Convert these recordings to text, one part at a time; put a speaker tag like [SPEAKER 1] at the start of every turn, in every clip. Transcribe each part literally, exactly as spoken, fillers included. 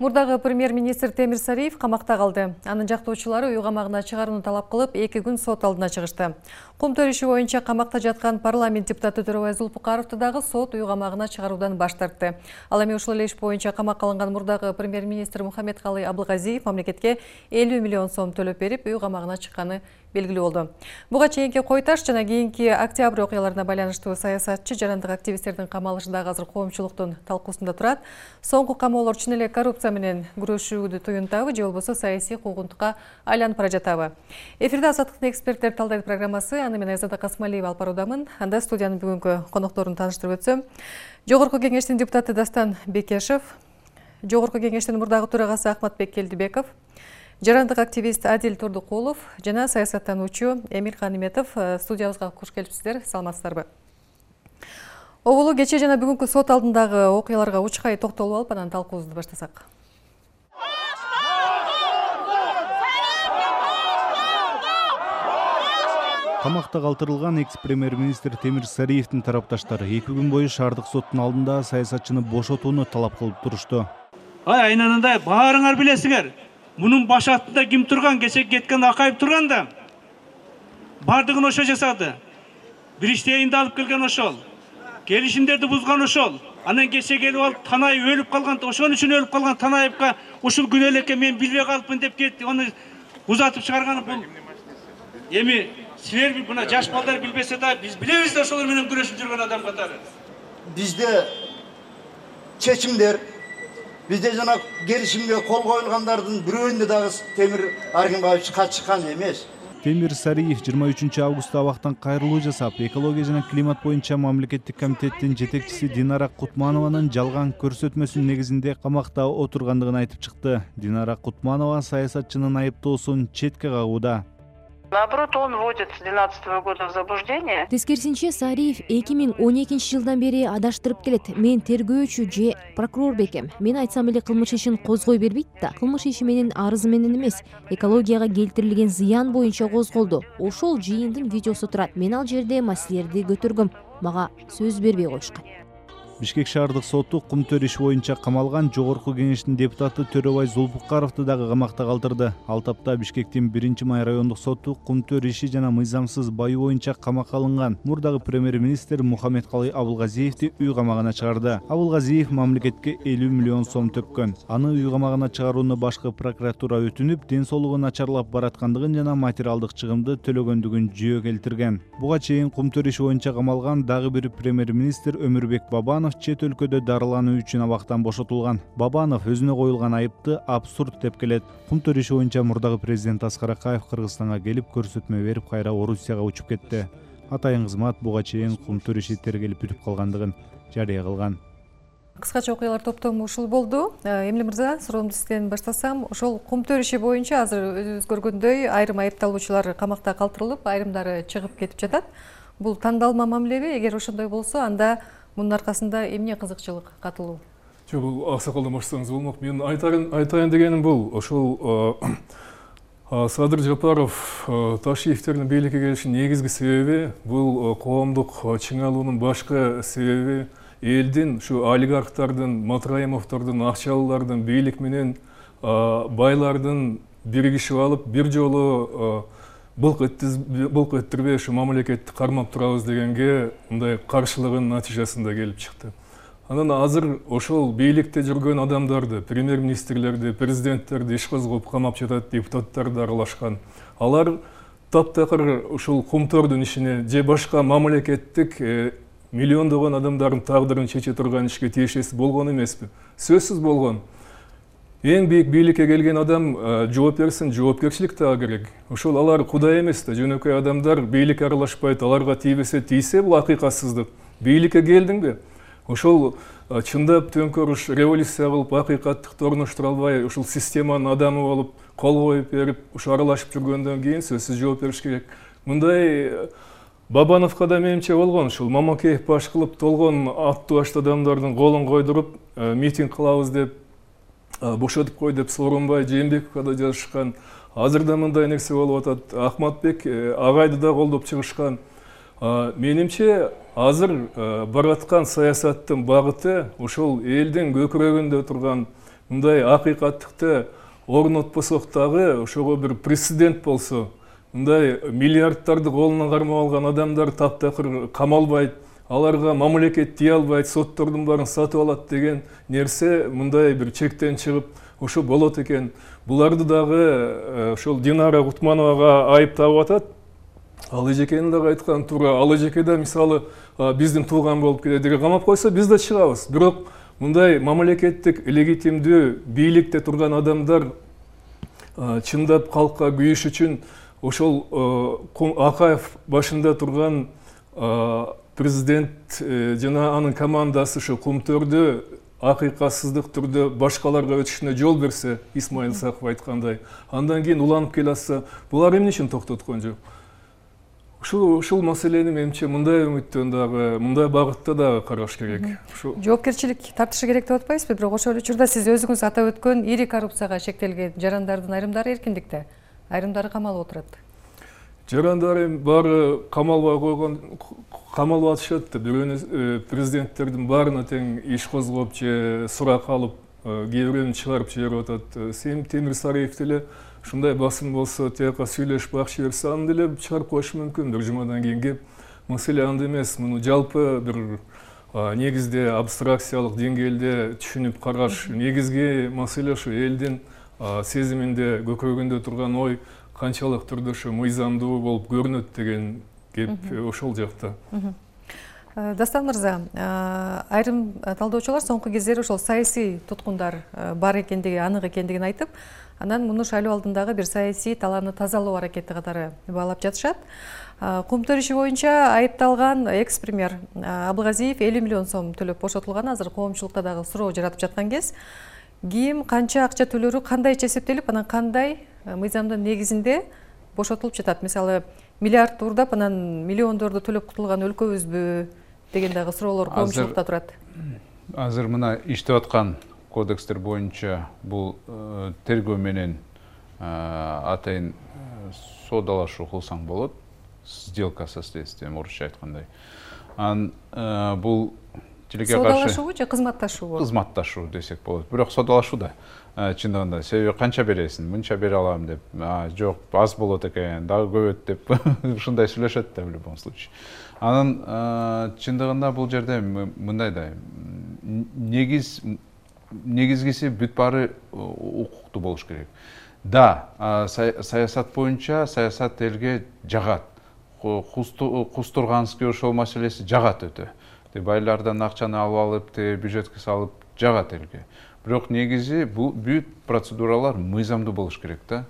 [SPEAKER 1] Мурдагы премьер-министр Темир Сариев камакта калды. Анын жактоочулары үй камагына чыгарууну талап кылып, эки күн сот алдына чыгышты. Кум төр иши боюнча камакта жаткан парламент депутаты Төрөбай Зулпукаровду дагы сот үй камагына чыгаруудан баш тартты. Ал эми ушул эле иш боюнча камакка алынган мурдагы премьер-министр Мухаммедкалый Абылгазиев мамлекетке элүү миллион сом төлөп берип, үй камагына чыкканы белгилүү болду. Буга чейинки кой таш жана кийинки октябрь окуяларына байланыштуу саясатчы жарандык активисттердин камалышы дагы азыр коомчулуктун талкуусунда турат. Соңку камоолор чын эле коррупция менен күрөшүүдү туюнтабы же болбосо саясий куугунтукка айланып бара жатабы? Эфирде Азаттыктын эксперттер талдайт программасы. Аны мен Айзада Касмалиева алып баруудамын. Анда студиянын бүгүнкү конокторун тааныштырып өтсөм. Жогорку кеңештин депутаты Дастан Бекешев, Жогорку кеңештин мурдагы төрагасы Ахматбек Келдибеков, жарандык активист Адил Турдукулов жана саясаттануучу Эмир Каниметов студиябызга куш келипсиздер. Саламатсыздарбы? Оголу кече жана бүгүнкү сот алдындагы окуяларга учкай токтолуп алып, анан талкуубузду баштасак.
[SPEAKER 2] Камакта калтырылган экс-премьер-министр Темир Сариевдин тарапташтары эки күн бою шаардык соттун алдында саясатчыны бошотууну талап кылып турушту.
[SPEAKER 3] Ай, айнанында баарыңар билесиңер. Мунун баш артында ким турган, кече кеткен Акаев турган да. Бардыгын ошо жасады. Бириштейинди алып келген ошол. Келишимдерди бузган ошол. Анан кече келип алып Танаев өлүп калган, ошон үчүн өлүп калган Танаевка ушул күнөө элекке мен билбей калыпмын деп кетти. Аны узатып чыгарганы бул. Эми силер мына жаш балдар билбесе да биз билебиз да ошолор менен күрөшүп жүргөн адам катары.
[SPEAKER 4] Бизде чечимдер, бизде жана келишимге кол коюлгандардын бирөөндө дагы Темир Аргимбаевич катышкан эмес.
[SPEAKER 2] Темир Сариев жыйырма үчүнчү августта абактан кайрылуу жасап, экология жана климат боюнча мамлекеттик комитеттин жетекчиси Динара Кутманованын жалган көрсөтмөсүнүн негизинде камакта отургандыгын айтып чыкты. Динара Кутманова саясатчынын айыптоосун четке кагууда.
[SPEAKER 5] Наоборот, он вводит с двенадцатого года в заблуждение.
[SPEAKER 6] Тескерисинче Сариев эки миң он экинчи жылдан бери адаштырып келет. Мен тергөөчү же прокурор бекем. Мен айтсам эле кылмыш ишин козгой бербейт да. Кылмыш иши менин арызы менен эмес, экологияга келтирилген зыян боюнча козголду. Ошол жыйындын видеосу турат. Мен ал жерде маселелерди көтөргөм. Мага сөз бербей коюшкан.
[SPEAKER 2] Бишкек шаардык соту кум төр иши боюнча камалган Жогорку кеңештин депутаты Төрөбай Зулпукаровду дагы камакта калтырды. Ал тапта Бишкектин биринчи май райондук соту кум төр иши жана мыйзамсыз баю боюнча камакка алынган мурдагы премьер-министр Мухаммедкалый Абылгазиевди үй камагына чыгарды. Абылгазиев мамлекетке элүү миллион сом төккөн. Аны үй камагына чыгарууну башкы прокуратура өтүнүп, ден соолугу начарлап бараткандыгын жана материалдык чыгымды төлөгөндүгүн жүйө келтирген. Буга чейин кум төр иши боюнча камалган дагы бир премьер-министр Өмүрбек Бабанов чет өлкөдө дарылануу үчүн абактан бошотулган. Бабанов өзүнө коюлган айыпты абсурд деп келет. Кум төр иши боюнча мурдагы президент Аскар Акаев Кыргызстанга келип көрсөтмө берип, кайра Орусияга учуп кетти. Атайын кызмат буга чейин кум төр иши тергелип бүтүп калгандыгын жарыя кылган.
[SPEAKER 1] Кыскача окуялар топтому ушул болду. Эмиле мырза, суроомду сизден баштасам, ошол кум төр иши боюнча азыр өзүбүз көргөндөй айрым айыпталуучулар камакта калтырылып, айрымдары чыгып кетип жатат. Бул тандалма мамилеби? Эгер ошондой болсо, анда мунун аркасында эмне кызыкчылык катылуу?
[SPEAKER 7] Жок, бул аксакалдан баштасаңыз болмок. Мен айтайын дегеним бул, ошол Садыр Жапаров Ташиевтердин бийликке келишинин негизги себеби бул коомдук чыңалуунун башкы себеби элдин, ушу олигархтардын, Матраимовдордун, акчалылардын бийлик менен байлардын биригишип алып, бир жолу былк эттирбей ушу мамлекетти кармап турабыз дегенге мындай каршылыгынын натыйжасында келип чыкты. Анан азыр ошол бийликте жүргөн адамдарды, премьер-министрлерди, президенттерди иш козгоп камап жатат, депутаттарды аралашкан. Алар таптакыр ушул кум төрдүн ишине же башка мамлекеттик миллиондогон адамдардын тагдырын чече турган ишке тиешеси болгон эмеспи? Сөзсүз болгон. Эң бийик бийликке келген адам жооп берсин, жоопкерчилик да керек. Ошол алар кудай эмес да, жөнөкөй адамдар, бийликке аралашпайт, аларга тийбесе тийсе, бул акыйкатсыздык. Бийликке келдиңби? Ошол чындап төңкөрүш, революция кылып, акыйкаттыкты орноштура албай, ушул системанын адамы болуп, кол коюп берип, ушу аралашып жүргөндөн кийин сөзсүз жооп бериш керек. Мындай Бабановго да менимче болгон, ушул Мамакеев баш кылып толгон аттуу башты адамдардын колун койдуруп, митинг кылабыз деп, бошотуп кой деп Сооронбай Жээнбековго да жазышкан. Азыр да мындай нерсе болуп атат. Ахматбек агайды да колдоп чыгышкан. Менимче азыр бараткан саясаттын багыты ошол элдин көкүрөгүндө турган мындай акыйкаттыкты орнотпосок дагы ошого бир прецедент болсо, мындай миллиардтарды колуна кармап алган адамдар таптакыр камалбайт, аларга мамлекет тие албайт, соттордун баарын сатып алат деген нерсе мындай бир чектен чыгып ошо болот экен. Буларды дагы ошол Динара Гутмановага айыптап атат. Ал эжекенин дагы айткан туура. Ал эжеке да мисалы биздин тууган болуп кетет деген камап койсо биз да чыгабыз. Бирок мындай мамлекеттик легитимдүү бийликте турган адамдар чындап калкка күйүш үчүн ошол Акаев башында турган президент жана анын командасы ошо Кумтөрдү акыйкатсыздык түрдө башкаларга өтүшүнө жол берсе, Исмаил Саков айткандай, андан кийин уланып келе атса, булар эмне үчүн токтоткон жок? Ушул ушул маселени менимче мындай үмүттөн дагы, мындай багытта дагы караш керек.
[SPEAKER 1] Жоопкерчилик тартышы керек деп атпайсызбы? Бирок ошол учурда сиз өзүңүз атап өткөн ири коррупцияга шектелген жарандардын айрымдары эркиндикте, айрымдары камалып отурат.
[SPEAKER 7] Жарандары баары камалбай койгон, камалып атышат да, бирөөнү президенттердин баарына тең иш козгоп же сурак алып, кээ бирөөнү чыгарып жиберип атат. Сем Темир Сариев деле ушундай басым болсо, тияка сүйлөшүп акча берсе, аны деле чыгарып коюшу мүмкүн. Бир жумадан кийин кеп, маселе анда эмес. Муну жалпы бир негизде абстракциялык деңгээлде түшүнүп караш. Негизги маселе ошо элдин сезиминде, көкөрөгүндө турган ой канчалык түрдө ошо мыйзамдуу болуп көрүнөт деген кеп ошол жакта.
[SPEAKER 1] Дастан мырза, айрым талдоочулар соңку кездери ошол саясий туткундар бар экендиги, анык экендигин айтып, анан муну шайлоо алдындагы бир саясий талааны тазалоо аракети катары баалап жатышат. Кумтөр иши боюнча айыпталган экс-премьер Абылгазиев элүү миллион сом төлөп бошотулган. Азыр коомчулукта дагы суроо жаратып жаткан кез. Ким канча акча төлөрү кандайча эсептелип, анан кандай мыйзамдын негизинде бошотулуп жатат? Мисалы, миллиард урдап, анан миллиондорду төлөп кутулган өлкөбүзбү деген дагы суроолор коомчулукта турат.
[SPEAKER 8] Азыр мына иштеп аткан кодекстер боюнча бул тергөө менен атайын соодалашуу кылсаң болот. Сделка со следствием, орусча айткандай. Ан бул тилекке каршы
[SPEAKER 1] соодалашуу же кызматташуу?
[SPEAKER 8] Кызматташуу десек болот. Бирок соодалашуу да чындыгында. Себеби канча бересиң? Мынча бере алам деп. Жок, аз болот экен, дагы көбөт деп ушундай сүйлөшөт да в любом случае. Анын чындыгында бул жерде мындай да негиз негизгиси бүт баары укуктуу болуш керек. Да, саясат боюнча саясат элге жагат. Кустурганский ошол маселеси жагат өтө. Байлардан акчаны алып алып, бюджетке салып жагат элге. Бирок негизи бул бүт процедуралар мыйзамдуу болуш керек да.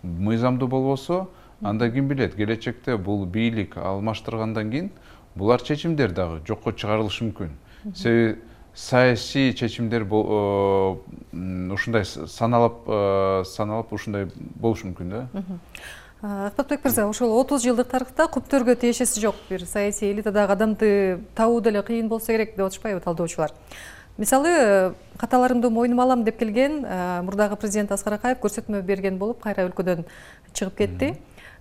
[SPEAKER 8] Мыйзамдуу болбосо, анда ким билет, келечекте бул бийлик алмаштыргандан кийин булар чечимдер дагы жокко чыгарылышы мүмкүн. Себеби саясий чечимдер ушундай саналып саналып ушундай болушу мүмкүн да.
[SPEAKER 1] Акпатбек мырза, ошол отуз жылдык тарыхта Кумтөргө тиешеси жок бир саясий элитадагы адамды табуу деле кыйын болсо керек деп атышпайбы талдоочулар? Мисалы, каталарымды мойнума алам деп келген мурдагы президент Аскар Акаев көрсөтмө берген болуп, кайра өлкөдөн чыгып кетти.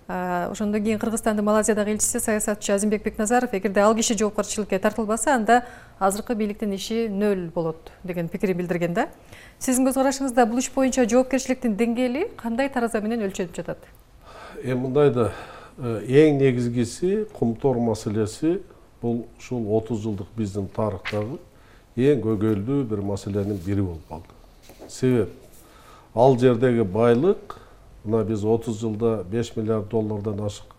[SPEAKER 1] Ошондон кийин Кыргызстандын Малайзиядагы элчиси саясатчы Азимбек Бекназаров, эгерде ал киши жоопкерчиликке тартылбаса, анда азыркы бийликтин иши нөл болот деген пикирин билдирген да. Сиздин көз карашыңызда бул иш боюнча жоопкерчиликтин деңгээли кандай тараза менен өлчөнүп жатат?
[SPEAKER 9] Эми мындай да эң негизгиси Кумтөр маселеси бул ушул отуз жылдык биздин тарыхтагы эң көйгөйлүү бир маселенин бири болуп калды. Себеп ал жердеги байлык, мына биз отуз жылда беш миллиард доллардан ашык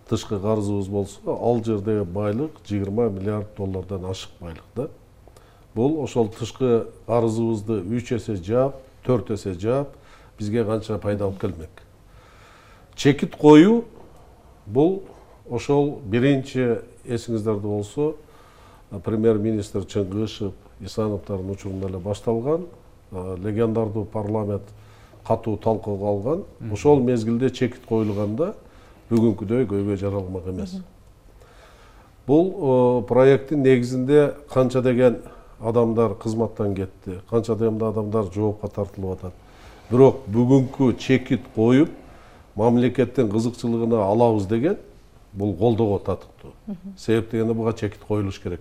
[SPEAKER 9] тышкы карызыбыз болсо, ал жердеги байлык жыйырма миллиард доллардан ашык байлык да. Бул ошол тышкы карызыбызды үч эсе жаап, төрт эсе жаап, бизге канча пайда алып келмек. Чекит коюу бул ошол биринчи эсиңиздерде болсо, премьер-министр Чыңгышев, Исановдордун учурунда эле башталган, легендардуу парламент катуу талкууга алган. Ошол мезгилде чекит коюлганда бүгүнкүдөй көйгөй жаралмак эмес. Бул проекттин негизинде канча деген адамдар кызматтан кетти, канча деген адамдар жоопко тартылып атат. Бирок бүгүнкү чекит коюп, мамлекеттин кызыкчылыгына алабыз деген бул колдоого татыктуу. Себеп дегенде буга чекит коюлуш керек.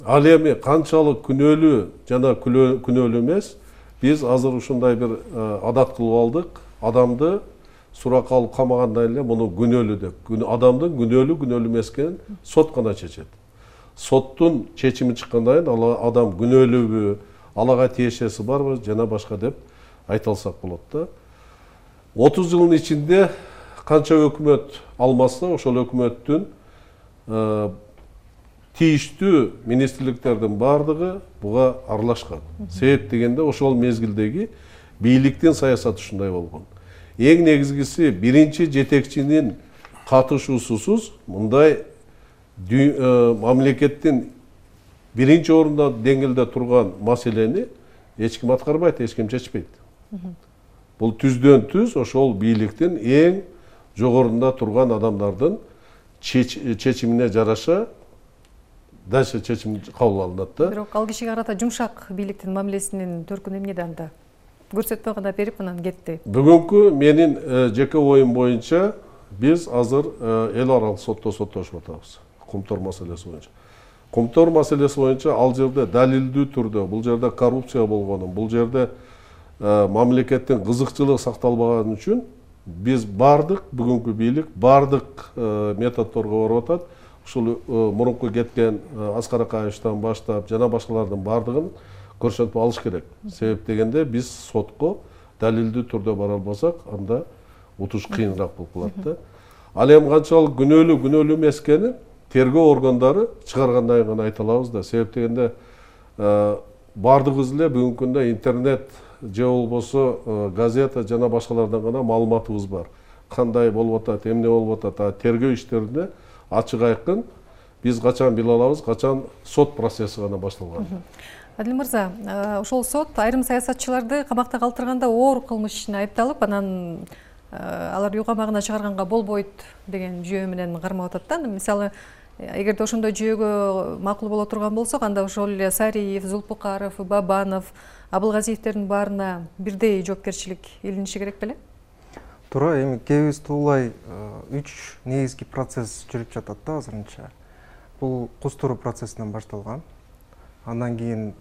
[SPEAKER 9] Ал эми канчалык күнөөлүү жана күнөөлүү эмес, биз азыр ушундай бир адат кылып алдык. Адамды суракка алып камагандан эле муну күнөөлүү деп. Адамдын күнөөлүү күнөөлүү эмес экенин сот гана чечет. Соттун чечими чыккандан кийин ал адам күнөөлүүбү, алага тиешеси барбы жана башка деп айта алсак болот да. отуз жылдын ичинде канча өкмөт алмаса, ошол өкмөттүн тийиштүү министрликтердин бардыгы буга аралашкан. Себеп дегенде ошол мезгилдеги бийликтин саясаты ушундай болгон. Эң негизгиси биринчи жетекчинин катышуусусуз мындай мамлекеттин биринчи орунда деңгээлде турган маселени эч ким аткарбайт, эч ким чечпейт. Бул түздөн түз ошол бийликтин эң жогорунда турган адамдардын чечимине жараша дальше чечим кабыл алынат да.
[SPEAKER 1] Бирок ал кишиге карата жумшак бийликтин мамилесинин төркүнү эмнеде анда? Көрсөтмө гана берип анан кетти.
[SPEAKER 9] Бүгүнкү менин жеке оюм боюнча биз азыр эл аралык сотто соттошуп атабыз. Кумтор маселеси боюнча. Кумтор маселеси боюнча ал жерде далилдүү түрдө, бул жерде коррупция болгонун, бул жерде мамлекеттин кызыкчылыгы сакталбаганы үчүн биз бардык бүгүнкү бийлик бардык методдорго барып атат. Ушул мурунку кеткен Аскар Акаевичтен баштап жана башкалардын бардыгын көрсөтүп алыш керек. Себеп дегенде биз сотко далилдүү түрдө бара албасак, анда утуш кыйыныраак болуп калат да. Ал эми канчалык күнөөлүү күнөөлүү эмес экенин тергөө органдары чыгаргандан кийин гана айта алабыз да. Себеп дегенде бардыгыбыз эле бүгүнкү күндө интернет же болбосо газета жана башкалардан гана маалыматыбыз бар. Кандай болуп атат, эмне болуп атат, тергөө иштеринде ачык айкын биз качан биле алабыз, качан сот процесси гана башталган.
[SPEAKER 1] Адил мырза, ошол сот айрым саясатчыларды камакта калтырганда оор кылмыш ишине айыпталып, анан алар үй камагына чыгарганга болбойт деген жүйө менен кармап атат да. Мисалы, эгерде ошондой жүйөгө макул боло турган болсок, анда ошол эле Сариев, Зулпукаров, Бабанов, Абылгазиевтердин баарына бирдей жоопкерчилик илиниши керек беле?
[SPEAKER 10] Туура, эми кебиз туулай үч негизги процесс жүрүп жатат да азырынча. Бул кустуруу процессинен башталган. Андан кийин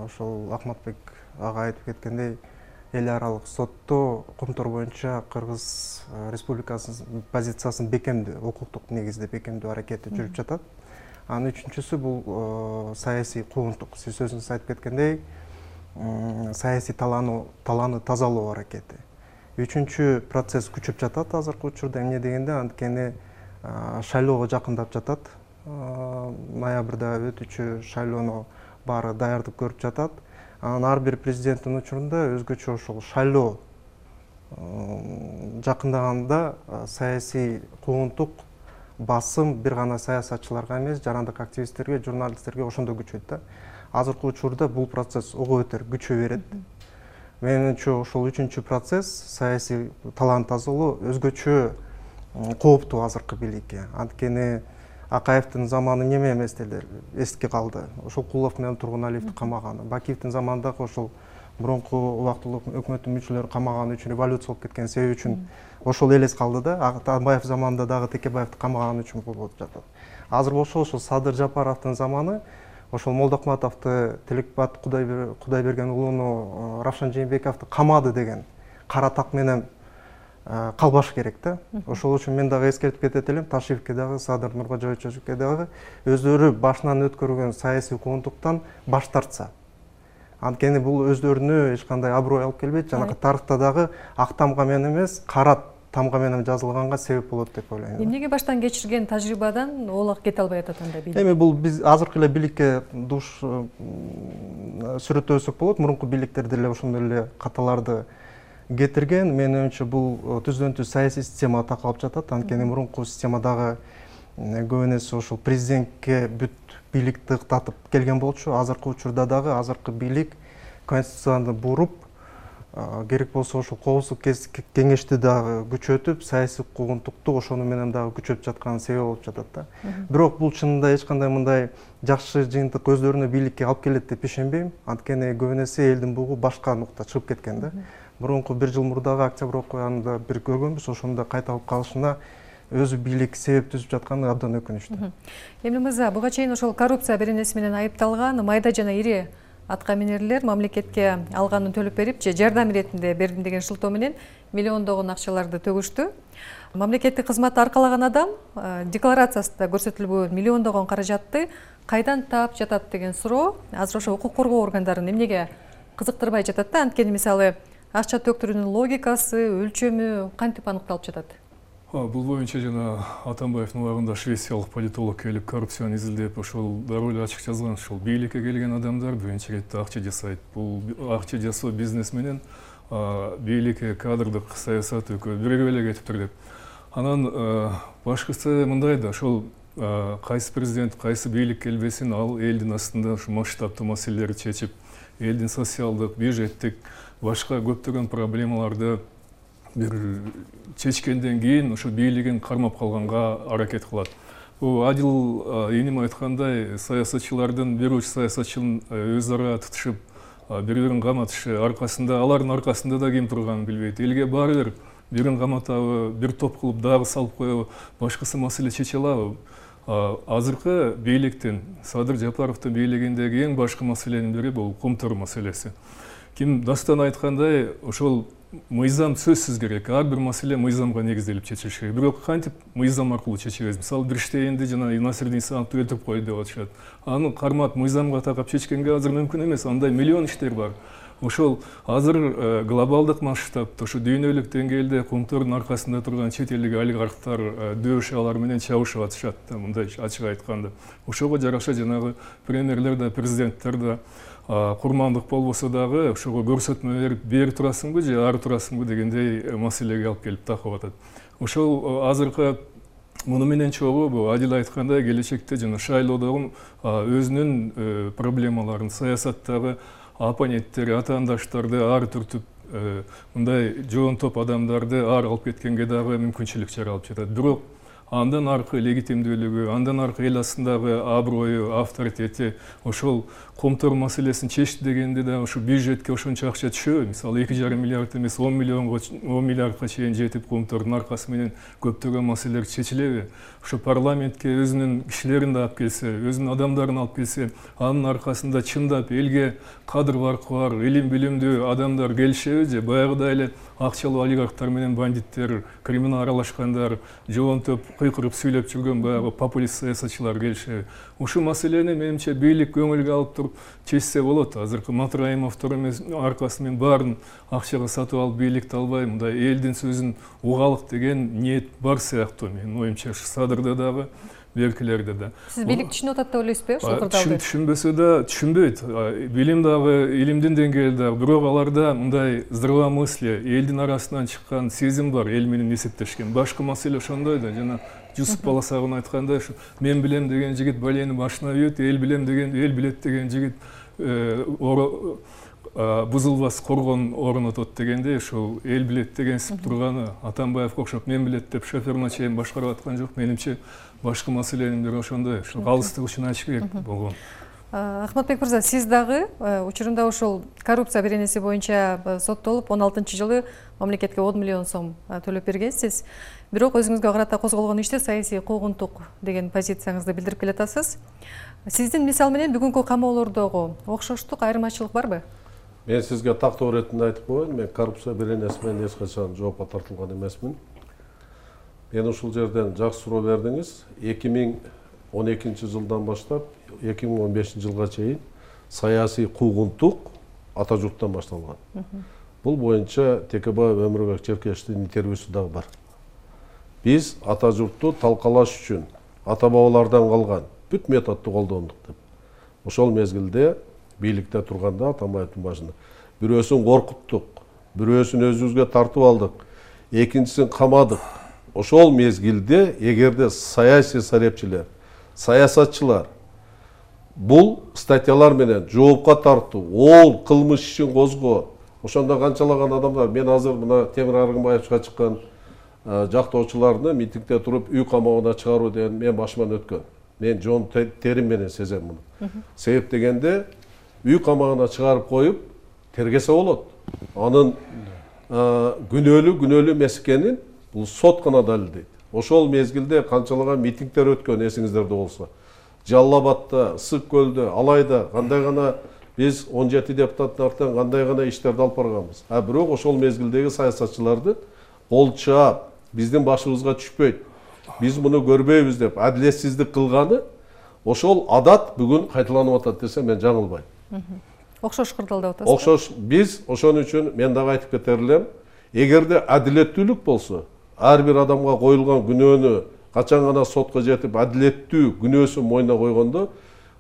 [SPEAKER 10] ошол Акматбек ага айтып кеткендей, эл аралык сотто Кумтор боюнча Кыргыз Республикасынын позициясын бекемдөө, укуктук негизде бекемдөө аракети жүрүп жатат. Анын үчүнчүсү бул саясий куугунтук. Сиз өзүңүз айтып кеткендей, саясий талааны талааны тазалоо аракети. Үчүнчү процесс күчөп жатат азыркы учурда. Эмне дегенде, анткени шайлоого жакындап жатат. Ноябрда өтүүчү шайлоону баары даярдык көрүп жатат. Анан ар бир президенттин учурунда өзгөчө ошол шайлоо жакындаганда саясий куугунтук басым бир гана саясатчыларга эмес, жарандык активисттерге, журналисттерге ошондо күчөйт да. Азыркы учурда бул процесс ого бетер күчөй берет. Менимче ошол үчүнчү процесс, саясий талааны тазалоо өзгөчө кооптуу азыркы бийликке. Анткени Акаевдин заманы неме эмес деле эске калды. Ошол Кулов менен Тургуналиевди камаганы, Бакиевдин заманындагы ошол мурунку убактылуу өкмөттүн мүчөлөрү камаганы үчүн, революция болуп кеткен себеби үчүн ошол элес калды да. Атамбаев заманында дагы Текебаевди камаганы үчүн болуп жатат. Азыр болсо ошол Садыр Жапаровдун заманы, ошол Молдокматовду, Тилекбат Кудайберген уулуну, Равшан Жээнбековду камады деген кара так менен калбаш керек да. Ошол үчүн мен дагы эскертип кетет элем, Ташиевке дагы, Садыр Нуркожоевичке дагы өздөрү башынан өткөргөн саясий куугунтуктан баш тартса. Анткени бул өздөрүнө эч кандай аброй алып келбейт, жанагы тарыхта дагы ак тамга менен эмес, кара тамга менен жазылганга себеп болот деп ойлойм.
[SPEAKER 1] Эмнеге баштан кечирген тажрыйбадан олак кете албай атат анда бийлик?
[SPEAKER 10] Эми бул биз азыркы эле бийликке душ сүрөттөбөсөк болот. Мурунку бийликтер деле ошондой эле каталарды кетирген. Менин оюмча бул түздөн түз саясий система такалып жатат. Анткени мурунку системадагы көбүнесе ошол президентке бүт бийликти ыктатып келген болчу. Азыркы учурда дагы азыркы бийлик конституцияны буруп, керек болсо ошол коопсуздук кеңешти дагы күчөтүп, саясий куугунтукту ошону менен дагы күчөп жаткан себеп болуп жатат да. Бирок бул чынында эч кандай мындай жакшы жыйынтык өздөрүнө бийликке алып келет деп ишенбейм. Анткени көбүнесе элдин бугу башка нукта чыгып кеткен да. Мурунку бир жыл мурдагы октябрь окуянында бир көргөнбүз, ошондо кайталып калышына өзү бийлик себеп түзүп жатканы абдан өкүнүчтүү.
[SPEAKER 1] Эмне мырза, буга чейин ошол коррупция беренеси менен айыпталган майда жана ири атка минерлер мамлекетке алганын төлөп берип же жардам иретинде бердим деген шылтоо менен миллиондогон акчаларды төгүштү. Мамлекеттик кызматты аркалаган адам декларациясында көрсөтүлбөгөн миллиондогон каражатты кайдан таап жатат деген суроо азыр ошо укук коргоо органдарын эмнеге кызыктырбай жатат да, анткени мисалы акча төктүрүүнүн логикасы, өлчөмү кантип аныкталып жатат?
[SPEAKER 7] Бул боюнча жана Атамбаевдин убагында швециялык политолог келип коррупцияны изилдеп ошол дароо эле ачык жазган. Ошол бийликке келген адамдар биринчи иретте акча жасайт. Бул акча жасоо бизнес менен бийликке кадрдык саясат экөө биригип эле кетиптир деп. Анан башкысы мындай да, ошол кайсы президент, кайсы бийлик келбесин, ал элдин астында ушу масштабтуу маселелерди чечип, элдин социалдык, бюджеттик, башка көптөгөн проблемаларды бир чечкенден кийин ушу бийлигин кармап калганга аракет кылат. Бул Адил эним айткандай, саясатчылардын бир уч саясатчынын өз ара тутушуп, бири-бирин каматышы аркасында, алардын аркасында да ким турганын билбейт. Элге баары бир бирин каматабы, бир топ кылып дагы салып коебу, башкысы маселе чече алабы? Азыркы бийликтин, Садыр Жапаровдун бийлигиндеги эң башкы маселенин бири бул кумтөр маселеси. Ким дастан айткандай, ошол мыйзам сөзсүз керек. Ар бир маселе мыйзамга негизделип чечилиш керек. Бирок кантип мыйзам аркылуу чечебиз? Мисалы, Бирштейнди жана Насирдин Исановду өлтүрүп койду деп атышат. Аны кармап мыйзамга такап чечкенге азыр мүмкүн эмес. Андай миллион иштер бар. Ошол азыр глобалдык масштабта, ошо дүйнөлүк деңгээлде кумтордун аркасында турган чет элдик олигархтар дөөшө алар менен чабышып атышат да, мындай ачык айтканда. Ошого жараша жанагы премьерлер да, президенттер да курмандык болбосо дагы ошого көрсөтмө берип, бери турасыңбы же ары турасыңбы дегендей маселеге алып келип такып атат. Ошол азыркы муну менен чогуу бул Адил айткандай келечекте жана шайлоодогу өзүнүн проблемаларын, саясаттагы оппоненттери, атаандаштарды ар түртүп мындай жоон топ адамдарды ар алып кеткенге дагы мүмкүнчүлүк жаралып жатат. Бирок андан аркы легитимдүүлүгү, андан аркы эл астындагы аброю, авторитети, ошол комтор маселесин чечти дегенде да ошо бюджетке ошончо акча түшөбү? Мисалы эки жарым миллиард эмес он миллионго он миллиардка чейин жетип комтордун аркасы менен көптөгөн маселелер чечилеби? Ошо парламентке өзүнүн кишилерин да алып келсе, өзүнүн адамдарын алып келсе, анын аркасында чындап элге кадр баркы бар, илим билимдүү адамдар келишеби же баягыдай эле акчалуу олигархтар менен бандиттер, криминал аралашкандар, жоон топ кыйкырып сүйлөп жүргөн баягы популист саясатчылар келишеби? Ушул маселени менимче бийлик көңүлгө алып туруп чечсе болот. Азыркы Матраимовдор эмес аркасы менен баарын акчага сатып алып бийликти албай, мындай элдин сөзүн угалык деген ниет бар сыяктуу. Менин оюмча Садырда дагы, белгилерде да.
[SPEAKER 1] Сиз бийлик түшүнүп атат деп ойлойсузбу, ушул кырдаалды?
[SPEAKER 7] Түшүнбөсө да түшүнбөйт. Билим дагы, илимдин деңгээли дагы, бирок аларда мындай здравомыслие, элдин арасынан чыккан сезим бар, эл менен эсептешкен. Башкы маселе ошондой да, жана Жусуп Баласагын айткандай, мен билем деген жигит балени башына үйөт, эл билем деген, эл билет деген жигит бузулбас коргон орнотот дегендей, ошол эл билет деген сип турганы Атамбаевге окшоп мен билет деп шоферуна чейин башкарып аткан жок. Менимче башкы маселенин бири ошондой, ошол калыстык үчүн ачык керек болгон.
[SPEAKER 1] Ахматбек мырза, сиз дагы учурунда ошол коррупция беренеси боюнча соттолуп он алтынчы жылы мамлекетке он миллион сом төлөп бергенсиз. Бирок өзүңүзгө карата козголгон иште саясий куугунтук деген позицияңызды билдирип келатасыз. Сиздин мисал менен бүгүнкү камоолордогу окшоштук, айырмачылык барбы?
[SPEAKER 9] Мен сизге тактоо иретинде айтып коеюн, мен коррупция беренеси менен эч качан жоопко тартылган эмесмин. Мен ушул жерден жакшы суроо бердиңиз. эки миң он экинчи жылдан баштап эки миң он бешинчи жылга чейин саясий куугунтук ата журттан башталган. Бул боюнча Текебаев Өмүрбек Черкешевдин интервьюсу дагы бар. Биз ата журтту талкалаш үчүн ата бабалардан калган бүт методду колдондук деп. Ошол мезгилде бийликте турганда Атамбаевдин башында бирөөсүн коркуттук, бирөөсүн өзүбүзгө тартып алдык, экинчисин камадык. Ошол мезгилде эгерде саясий сарепчилер, саясатчылар бул статьялар менен жоопко тартуу, ол кылмыш ишин козгоо, ошондо канчалаган адамдар, мен азыр мына Темир Аргынбаевчка чыккан жактоочуларны митингде туруп үй камабына чыгаруу деген мен башыман өткөн. Мен жон терим менен сезем муну. Себеп дегенде үй камагына чыгарып коюп тергесе болот. Анын күнөөлүү күнөөлүү эмес экенин бул сот гана далилдейт. ошол мезгилде канчалаган митингдер өткөн эсиңиздерде болсо. Жалал Абадта, Ысык көлдө, алайда кандай гана биз он жети депутаттын артынан кандай гана иштерди алып барганбыз. А бирок ошол мезгилдеги саясатчыларды кол чаап, биздин башыбызга түшпөйт, биз муну көрбөйбүз деп адилетсиздик кылганы ошол адат бүгүн кайталанып атат десе мен жаңылбайм.
[SPEAKER 1] Окшош кырдаалдап атасыз.
[SPEAKER 9] Окшош биз ошон үчүн мен дагы айтып кетер элем, эгерде адилеттүүлүк болсо, ар бир адамга коюлган күнөөнү качан гана сотко жетип адилеттүү күнөөсүн мойнуна койгондо,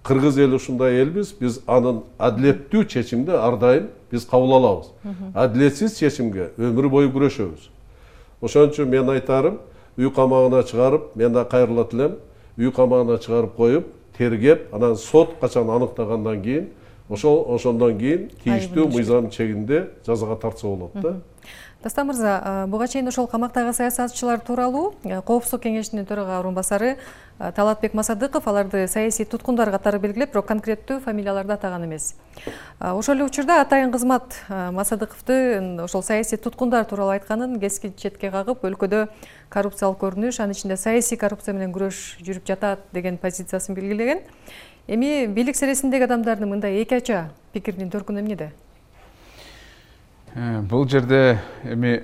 [SPEAKER 9] кыргыз эли ушундай элбиз, биз анын адилеттүү чечимди ар дайым биз кабыл алабыз. Адилетсиз чечимге өмүр бою күрөшөбүз. Ошон үчүн мен айтарым, үй камагына чыгарып, мен да кайрылат элем, үй камагына чыгарып коюп, тергеп, анан сот качан аныктагандан кийин, ошол ошондон кийин тийиштүү мыйзам чегинде жазага тартса болот да.
[SPEAKER 1] Дастан мырза, буга чейин ошол камактагы саясатчылар тууралуу Коопсуздук кеңешинин төрага орун басары Талатбек Масадыков аларды саясий туткундар катары белгилеп, бирок конкреттүү фамилияларды атаган эмес. Ошол эле учурда атайын кызмат Масадыковду ошол саясий туткундар тууралуу айтканын кескен четке кагып, өлкөдө коррупциялык көрүнүш, анын ичинде саясий коррупция менен күрөш жүрүп жатат деген позициясын белгилеген. Эми бийлик сересиндеги адамдардын мындай эки ача пикиринин төркүнү эмнеде?
[SPEAKER 8] Бул жерде эми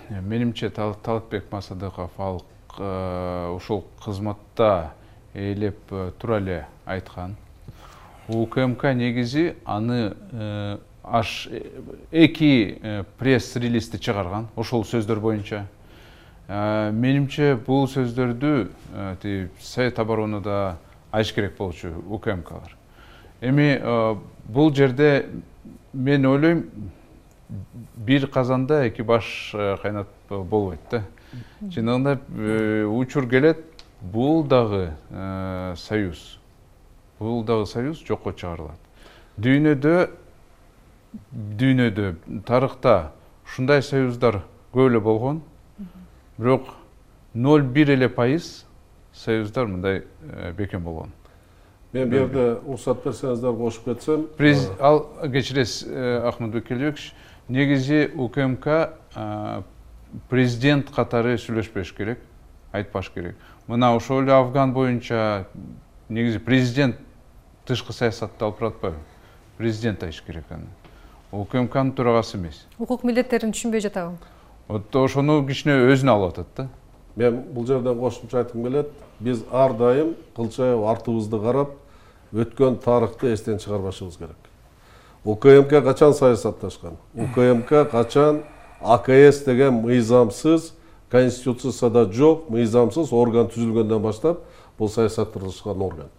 [SPEAKER 8] менимче Талатбек Масадыков ал ушул кызматта ээлеп тура эле айткан. УКМК негизи аны аш эки пресс-релизди чыгарган ошол сөздөр боюнча. Менимче бул сөздөрдү Совет оборонуда айтыш керек болчу УКМКлар. Эми бул жерде мен ойлойм, бир казанда эки баш кайнат болбойт да. Чындыгында учур келет, бул дагы союз. Бул дагы союз жокко чыгарылат. Дүйнөдө дүйнөдө тарыхта ушундай союздар көп эле болгон. Бирок ноль бир эле пайыз союздар мындай бекем болгон.
[SPEAKER 9] Мен бу жерде уруксат берсеңиздер кошуп кетсем.
[SPEAKER 8] Ал кечиресиз Ахматбек Келебекович, негизи УКМК президент катары сүйлөшпөш керек, айтпаш керек. Мына ошол эле Афган боюнча негизи президент тышкы саясатты алып баратпайбы? Президент айтыш керек аны. УКМКнын төрагасы эмес.
[SPEAKER 1] Укук милдеттерин түшүнбөй жатабы?
[SPEAKER 8] Вот ошону кичине өзүнө алып атат да.
[SPEAKER 9] Мен бул жерден кошумча айткым келет. Биз ар дайым кылчайып артыбызды карап, өткөн тарыхты эстен чыгарбашыбыз керек. УКМК качан саясатташкан? УКМК качан АКС деген мыйзамсыз, конституцияда жок, мыйзамсыз орган түзүлгөндөн баштап бул саясатташкан орган.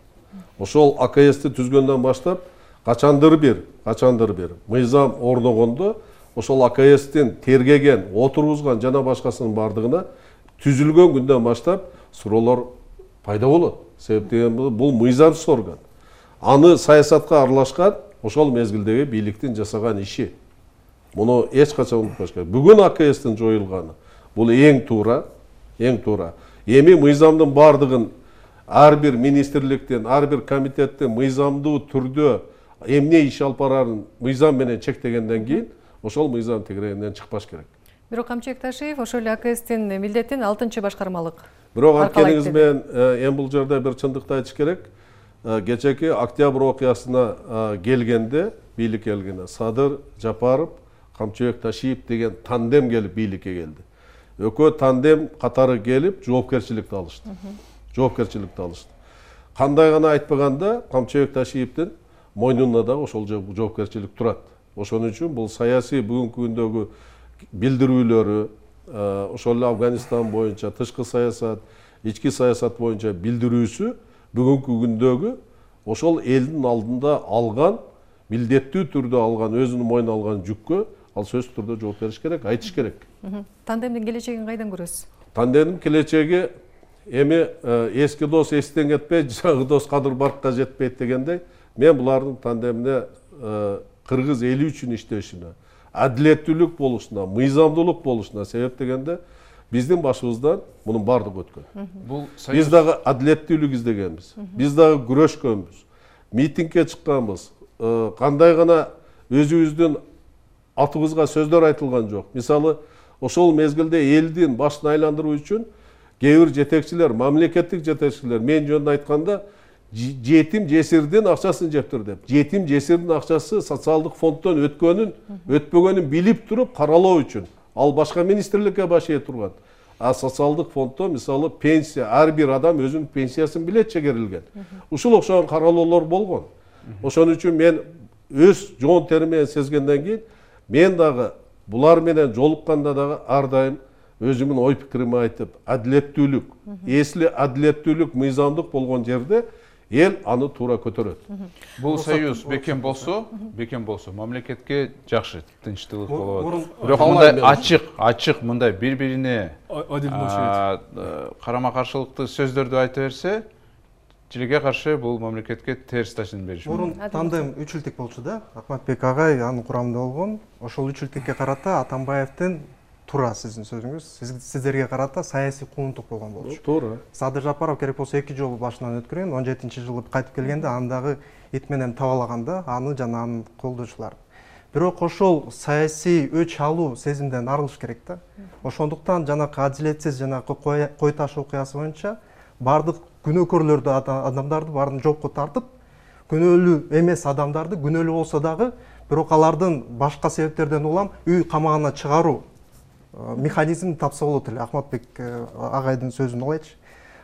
[SPEAKER 9] Ошол АКСти түзгөндөн баштап качандыр бир, качандыр бир мыйзам орногондо ошол АКСтин тергеген, отургузган жана башкасынын бардыгына түзүлгөн күндөн баштап суроолор пайда болот. Себеп деген бул мыйзамсыз орган. Аны саясатка аралашкан ошол мезгилдеги бийликтин жасаган иши. Муну эч качан унутпаш керек. Бүгүн АКСтин жоюлганы бул эң туура, эң туура. Эми мыйзамдын бардыгын ар бир министрликтен, ар бир комитеттен мыйзамдуу түрдө эмне иш алып барарын мыйзам менен чектегенден кийин ошол мыйзам тегерегинен чыкпаш керек.
[SPEAKER 1] Бирок Камчыбек Ташиев ошол эле АКСтин милдетин алтынчы башкармалык.
[SPEAKER 9] Бирок анткениңиз менен эми бул жерде бир чындыкты айтыш керек. Кечеки октябрь окуясына келгенде, бийликке келгенде Садыр Жапаров, Камчыбек Ташиев деген тандем келип бийликке келди. Экөө тандем катары келип жоопкерчиликти алышты. Жоопкерчиликти алышты. Кандай гана айтпаганда Камчыбек Ташиевдин мойнуна да ошол жоопкерчилик турат. Ошон үчүн бул саясий бүгүнкү күндөгү билдирүүлөрү, ошол эле Афганистан боюнча тышкы саясат, ички саясат боюнча билдирүүсү бүгүнкү күндөгү ошол элдин алдында алган, милдеттүү түрдө алган, өзүнүн мойнуна алган жүккө ал сөзсүз түрдө жооп бериш керек, айтыш керек.
[SPEAKER 1] Тандемдин келечегин кайдан көрөсүз?
[SPEAKER 9] Тандемдин келечеги эми эски дос эстен кетпейт, жаңы дос кадыр баркка жетпейт дегендей, мен булардын тандемине кыргыз эли үчүн иштешине, адилеттүүлүк болушуна, мыйзамдуулук болушуна себеп дегенде биздин башыбыздан мунун бардыгы өткөн. Биз дагы адилеттүүлүк издегенбиз. Биз дагы күрөшкөнбүз. Митингге чыкканбыз. Кандай гана өзүбүздүн атыбызга сөздөр айтылган жок. Мисалы, ошол мезгилде элдин башын айландыруу үчүн кээ бир жетекчилер, мамлекеттик жетекчилер мен жөнүндө айтканда жетим жесирдин акчасын жептир деп. Жетим жесирдин акчасы социалдык фонддон өткөнүн, өтпөгөнүн билип туруп каралоо үчүн. Ал башка министрликке баш ээ турган. А социалдык фонддо мисалы пенсия, ар бир адам өзүнүн пенсиясын билет чегерилген. Ушул окшогон каралоолор болгон. Ошон үчүн мен өз жоон терим менен сезгенден кийин мен дагы булар менен жолукканда дагы ар дайым өзүмдүн ой пикиримди айтып, адилеттүүлүк, эсли адилеттүүлүк, мыйзамдык болгон жерде эл аны туура көтөрөт.
[SPEAKER 8] Бул союз бекем болсо, бекем болсо мамлекетке жакшы, тынчтылык болот. Бирок мындай ачык, ачык мындай бири-бирине карама-каршылыктуу сөздөрдү айта берсе, тилге каршы бул мамлекетке терс таасирин бериши мүмкүн.
[SPEAKER 10] Мурун тандем үч илдик болчу да. Акматбек агай анын курамында болгон. Ошол үч илдикке карата Атамбаевдин туура сиздин сөзүңүз, сиздерге карата саясий куугунтук болгон болчу.
[SPEAKER 9] Туура.
[SPEAKER 10] Садыр Жапаров керек болсо эки жолу башынан өткөргөн, он жетинчи жылы кайтып келгенде андагы ит менен табалаганда аны жана анын колдоочуларын. Бирок ошол саясий өч алуу сезимден арылыш керек да. Ошондуктан жанакы адилетсиз жанакы кой таш окуясы боюнча бардык күнөөкөрлөрдү, адамдарды баарын жоопко тартып, күнөөлүү эмес адамдарды күнөөлүү болсо дагы, бирок алардын башка себептерден улам үй камагына чыгаруу механизмин тапса болот эле. Акматбек агайдын сөзүн алайчы.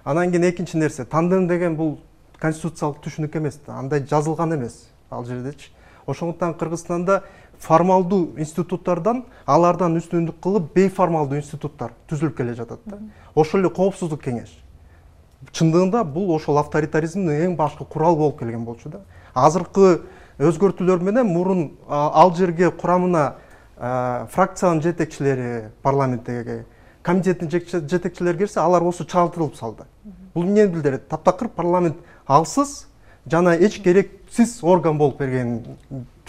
[SPEAKER 10] Анан кийин экинчи нерсе, тандем деген бул конституциялык түшүнүк эмес да, андай жазылган эмес ал жердечи. Ошондуктан Кыргызстанда формалдуу институттардан, алардан үстүндүк кылып бейформалдуу институттар түзүлүп келе жатат да. Ошол эле коопсуздук кеңеш. Чындыгында бул ошол авторитаризмдин эң башкы куралы болуп келген болчу да. Азыркы өзгөртүүлөр менен мурун ал жерге курамына фракциянын жетекчилери, парламенттеги комитеттин жетекчилери кирсе, алар осу чагылтырылып салды. Бул эмнени билдирет? Таптакыр парламент алсыз жана эч керексиз орган болуп бергенин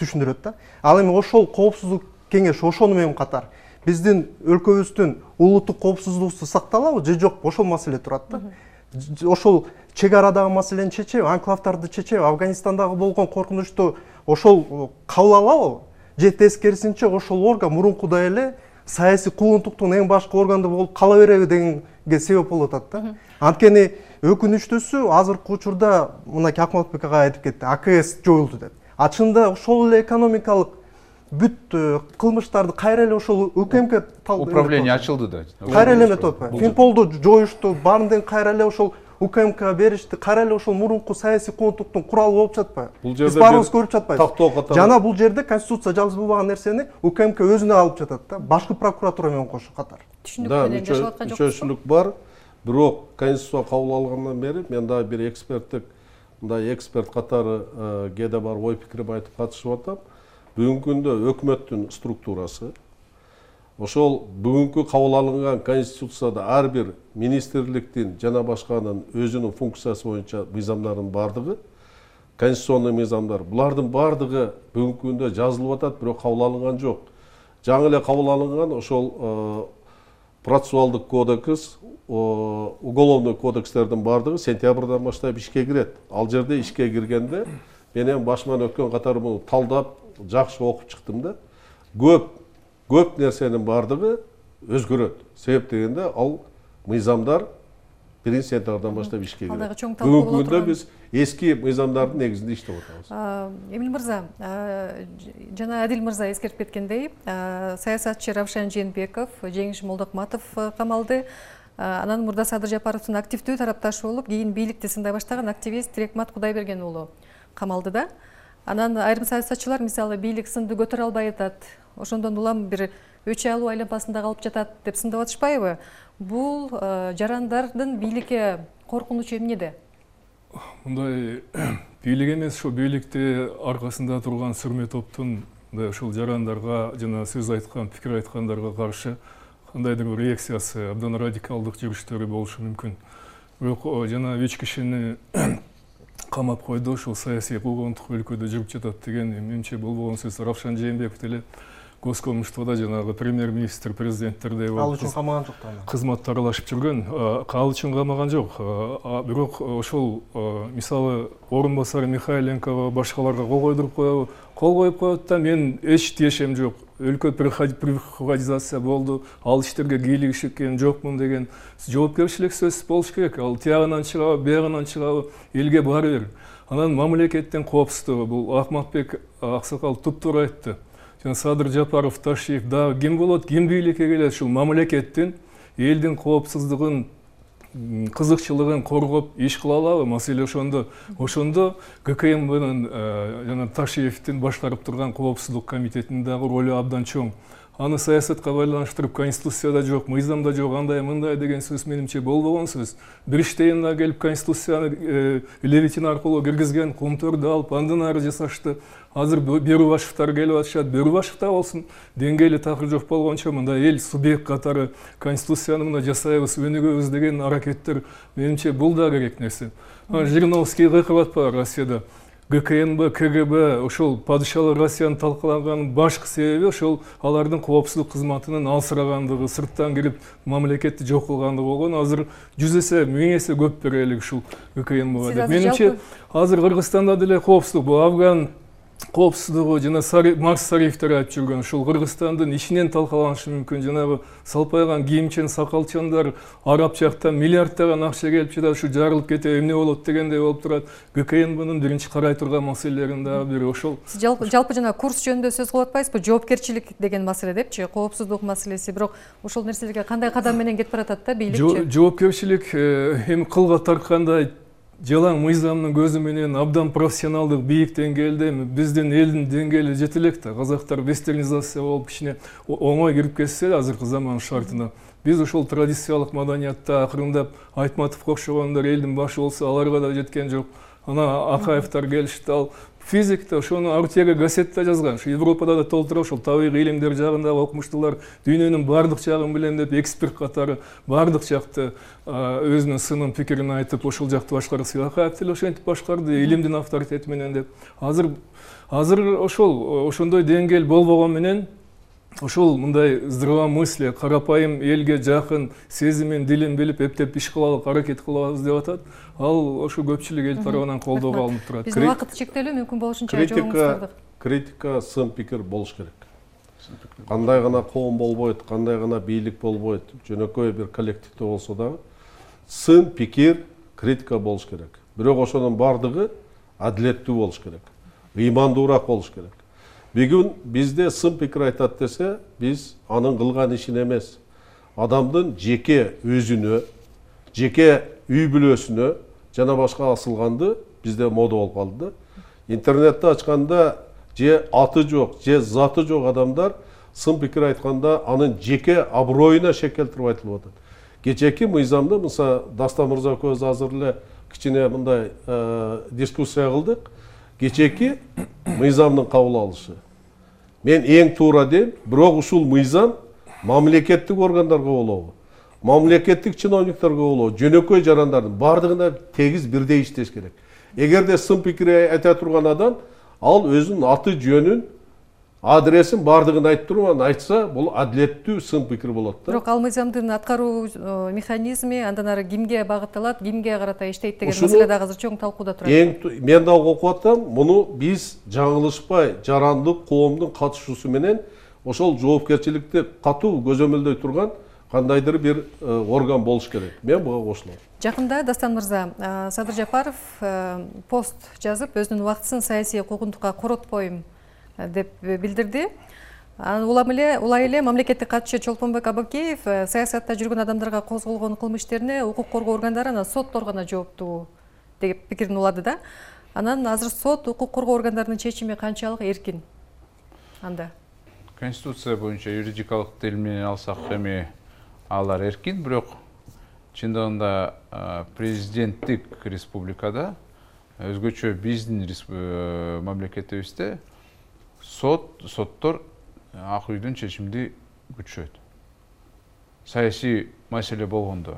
[SPEAKER 10] түшүндүрөт да. Ал эми ошол коопсуздук кеңеш ошону менен катар биздин өлкөбүздүн улуттук коопсуздугубузду сакталабы же жок, ошол маселе турат да. Ошол чек арадагы маселени чечеби, анклавдарды чечеби, Афганистандагы болгон коркунучту ошол кабыл алабы? Же тескерисинче ошол орган мурункудай эле саясий куугунтуктун эң башкы органы болуп кала береби дегенге себеп болуп атат да. Анткени өкүнүчтүүсү азыркы учурда мынакей Акматбек агай айтып кетти, А К С жоюлду деп. А чында ошол эле экономикалык бүт кылмыштарды кайра эле ошол УКМК
[SPEAKER 8] управление ачылды да.
[SPEAKER 10] Кайра эле эметип атпайбы? Финполду жоюшту, баарын кайра эле ошол УКМК беришти, кайра эле ошол мурунку саясий куугунтуктун куралы болуп жатпайбы? Биз баарыбыз көрүп жатпайбыз. Жана бул жерде конституция жазылбаган нерсени УКМК өзүнө алып жатат да, башкы прокуратура менен кошо катар.
[SPEAKER 1] Түшүнүк менен жашап аткан жокпуз.
[SPEAKER 9] Мүчөчүлүк бар, бирок конституция кабыл алынгандан бери мен дагы бир эксперттик, мындай эксперт катары кээде бар ой пикиримди айтып катышып атам. Бүгүнкү күндө өкмөттүн структурасы, ошол бүгүнкү кабыл алынган конституцияда ар бир министрликтин жана башканын өзүнүн функциясы боюнча мыйзамдардын бардыгы, конституционный мыйзамдар, булардын бардыгы бүгүнкү күндө жазылып атат, бирок кабыл алынган жок. Жаңы эле кабыл алынган ошол процессуалдык кодекс, уголовный кодекстердин бардыгы сентябрдан баштап ишке кирет. Ал жерде ишке киргенде мен эми башыман өткөн катары муну талдап жакшы окуп чыктым да. Көп көп нерсенин бардыгы өзгөрөт. Себеп дегенде ал мыйзамдар биринчи сентябрдан баштап ишке кирет. Бүгүнкү күндө биз эски мыйзамдардын негизинде иштеп атабыз.
[SPEAKER 1] Эмил мырза, жана Адил мырза эскертип кеткендей, саясатчы Равшан Жээнбеков, Жеңиш Молдокматов камалды. Анан мурда Садыр Жапаровдун активдүү тарапташы болуп, кийин бийликти сындай баштаган активист Рекмат Кудайберген уулу камалды да. Анан айрым саясатчылар мисалы бийлик сынды көтөрө албай атат, ошондон улам бир өч алуу айланпасында калып жатат деп сындап атышпайбы? Бул жарандардын бийликке коркунучу эмнеде?
[SPEAKER 7] Мындай бийлик эмес, ошо бийликти аркасында турган сүрмө топтун ушул жарандарга жана сөз айткан, пикир айткандарга каршы кандайдыр бир реакциясы, абдан радикалдык жүрүштөрү болушу мүмкүн. Бирок жана үч кишини камап койду, ушул саясий куугунтук өлкөдө жүрүп жатат деген менимче болбогон сөз. Равшан Жээнбеков деле Госкомиштвада жанагы премьер-министр, президенттердей
[SPEAKER 10] ал үчүн камаган жок да.
[SPEAKER 7] Кызматта аралашып жүргөн, ал үчүн камаган жок. Бирок ошол мисалы орун басары Михайленкого, башкаларга кол койдуруп коебу? Кол коюп коет да, мен эч тиешем жок. Өлкө приватизация болду, ал иштерге кийлигишкен жокмун деген жоопкерчилик сөз болуш керек. Ал тиягынан чыгабы, биягынан чыгабы, элге баары бир. Анан мамлекеттин коопсуздугу, бул Акматбек аксакал туптуура айтты. Жана Садыр Жапаров, Ташиев дагы ким болот, ким бийликке келет, ушул мамлекеттин элдин коопсуздугун, кызыкчылыгын коргоп иш кыла алабы? Маселе ошондо. Ошондо ГКМБнын жана Ташиевдин башкарып турган коопсуздук комитетинин дагы ролу абдан чоң. Аны саясатка байланыштырып, конституцияда жок, мыйзамда жок, андай мындай деген сөз менимче болбогон сөз. Бириштейин келип конституцияны левитин аркылуу киргизген, Кумтөрдү алып андан ары жасашты. Азыр Берубашевтар келип атышат. Берубашев да болсун, деңгээли такыр жок болгончо мындай эл субъект катары конституцияны мына жасайбыз, өнүгөбүз деген аракеттер менимче бул да керек нерсе. Жириновский кыйкып атпайбы Россияда? ГКНБ, КГБ ошол падышалык Россияны талкалаганын башкы себеби ошол алардын коопсуздук кызматынын алсырагандыгы, сырттан кирип мамлекетти жок кылгандыгы болгон. Азыр жүз эсе, миң эсе көп берелик ушул ГКНБга деп. Менимче азыр Кыргызстанда деле коопсуздук, бул Афган коопсуздугу жана Марс Сариевдер айтып жүргөн ушул Кыргызстандын ичинен талкаланышы мүмкүн. Жанагы салпайган кийимчен сакалчандар араб жактан миллиарддаган акча келип жатат, ушу жарылып кете эмне болот дегендей болуп турат. ГКНБнын биринчи карай турган маселелеринин дагы бири ошол.
[SPEAKER 1] Сиз жалпы жана курс жөнүндө сөз кылып атпайсызбы? Жоопкерчилик деген маселе депчи, коопсуздук маселеси. Бирок ошол нерселерге кандай кадам менен кетип баратат да бийликчи? Жоопкерчилик
[SPEAKER 7] эми кылга тарткандай жалаң мыйзамдын көзү менен абдан профессионалдык бийик деңгээлде биздин элдин деңгээли жете элек да. Казактар вестернизация болуп кичине оңой кирип кетсе азыркы заман шартына. Биз ошол традициялык маданиятта акырындап Айтматовго окшогондор элдин башы болсо аларга да жеткен жок. Ана Акаевтар келишти, ал физикте ошону Артега газетте жазган. Ошо Европада да толтура ошол табигый илимдер жагындагы окумуштуулар дүйнөнүн бардык жагын билем деп эксперт катары бардык жакты өзүнүн сынын пикирин айтып ошол жакты башкарса, Акаев деле ошентип башкарды илимдин авторитети менен деп. Азыр азыр ошол ошондой деңгээл болбогон менен ошол мындай здравомыслие, карапайым элге жакын сезимин, дилин билип эптеп иш кылалык аракет кылабыз деп атат. Ал ошо көпчүлүк эл тарабынан колдоого алынып турат.
[SPEAKER 1] Биздин убакыт чектелүү, мүмкүн болушунча жообуңуздарды.
[SPEAKER 9] Критика, сын пикир болуш керек. Кандай гана коом болбойт, кандай гана бийлик болбойт, жөнөкөй бир коллективде болсо дагы сын пикир, критика болуш керек. Бирок ошонун бардыгы адилеттүү болуш керек. Ыймандуураак болуш керек. Бүгүн бизде сын пикир айтат десе, биз анын кылган ишин эмес, адамдын жеке өзүнө, жеке үй бүлөсүнө жана башка асылганды бизде мода болуп калды. Интернетти ачканда же аты жок, же заты жок адамдар сын пикир айтканда анын жеке аброюна шек келтирип айтылып атат. Кечээки мыйзамда мыса Дастан мырза көз азыр эле кичине мындай дискуссия кылдык. Кечээки мыйзамдын кабыл алышы. Мен эң туура дейм, бирок ушул мыйзам мамлекеттик органдарга болобу, мамлекеттик чиновниктерге болобу, жөнөкөй жарандардын бардыгына тегиз бирдей иштеш керек. Эгерде сын пикир айта турган адам ал өзүнүн аты жөнүн, адресин бардыгын айтып туруп айтса, бул адилеттүү сын пикир болот да.
[SPEAKER 1] Бирок ал мыйзамдын аткаруу механизми андан ары кимге багытталат, кимге карата иштейт деген маселе дагы азыр чоң талкууда турат.
[SPEAKER 9] Эң мен дагы окуп атам, муну биз жаңылышпай, жарандык коомдун катышуусу менен ошол жоопкерчиликти катуу көзөмөлдөй турган кандайдыр бир орган болуш керек. Мен буга кошулам.
[SPEAKER 1] Жакында Дастан мырза, Садыр Жапаров пост жазып, өзүнүн убактысын саясий куугунтукка коротпойм деп билдирди. Улам эле, улай эле мамлекеттик катчы Чолпонбек Абакеев саясатта жүргөн адамдарга козголгон кылмыш иштерине укук коргоо органдары анан соттор гана жооптуу деп пикирин улады да. Анан азыр сот, укук коргоо органдарынын чечими канчалык эркин анда?
[SPEAKER 8] Конституция боюнча юридикалык тил менен алсак эми алар эркин, бирок чындыгында президенттик республикада өзгөчө биздин мамлекетибизде сот, соттор ак үйдүн чечимди күтүшөт. Саясий маселе болгондо.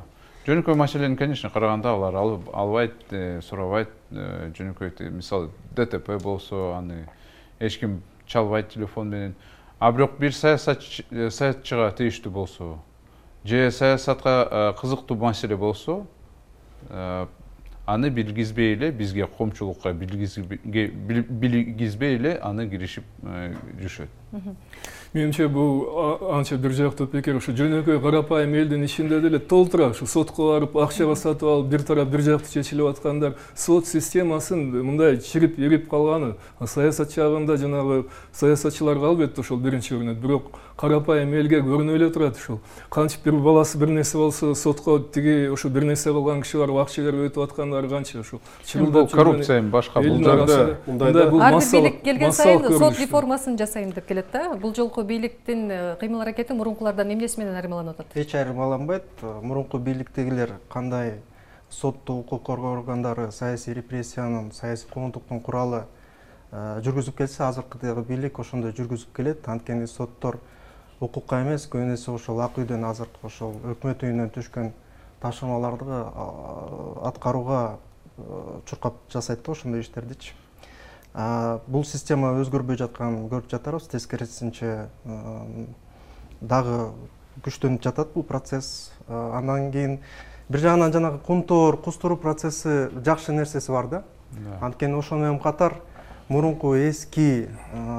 [SPEAKER 8] Жөнөкөй маселени, конечно, караганда алар албайт, сурабайт, жөнөкөй, мисалы ДТП болсо, аны эч ким чалбайт телефон менен. А бирок бир саясатчыга тийиштүү болсо же саясатка кызыктуу маселе болсо аны билгизбей эле бизге коомчулукка билгизбей эле аны киришип жүрүшөт.
[SPEAKER 7] Менимче бул анча бир жактуу пикир. Ушу жөнөкөй карапайым элдин ичинде деле толтура ушу сотко барып акчага сатып алып бир тарап бир жактуу чечилип аткандар сот системасын мындай чирип ирип калганы. Саясат жагында жанагы саясатчыларга албетте ошол биринчи көрүнөт. Бирок карапайым элге көрүнө эле турат ушул. Кантип бир баласы бир нерсе болсо сотко тиги ушу бир нерсе кылган киши барып акча берип өтүп аткандары канча ушул.
[SPEAKER 8] Бул коррупция башка бул жагда
[SPEAKER 7] мындай бул
[SPEAKER 1] ар бир бийлик келген сайын сот реформасын жасайм деп келет да. Бул жолку бийликтин кыймыл аракети мурункулардан эмнеси менен айырмаланып атат?
[SPEAKER 10] Эч айырмаланбайт. Мурунку бийликтегилер кандай сотту укук коргоо органдары саясий репрессиянын, саясий куугунтуктун куралы жүргүзүп келсе, азыркы бийлик ошондой жүргүзүп келет. Анткени соттор укукка эмес, көбүнесе ошол ак үйдөн азыркы ошол өкмөт үйүнөн түшкөн тапшырмаларды аткарууга чуркап жасайт да ошондой иштердичи. Бул система өзгөрбөй жатканын көрүп жатабыз. Тескерисинче дагы күчтөнүп жатат бул процесс. Андан кийин бир жагынан жанагы кумтоор, кустуруу процесси жакшы нерсеси бар да. Анткени ошону менен катар мурунку эски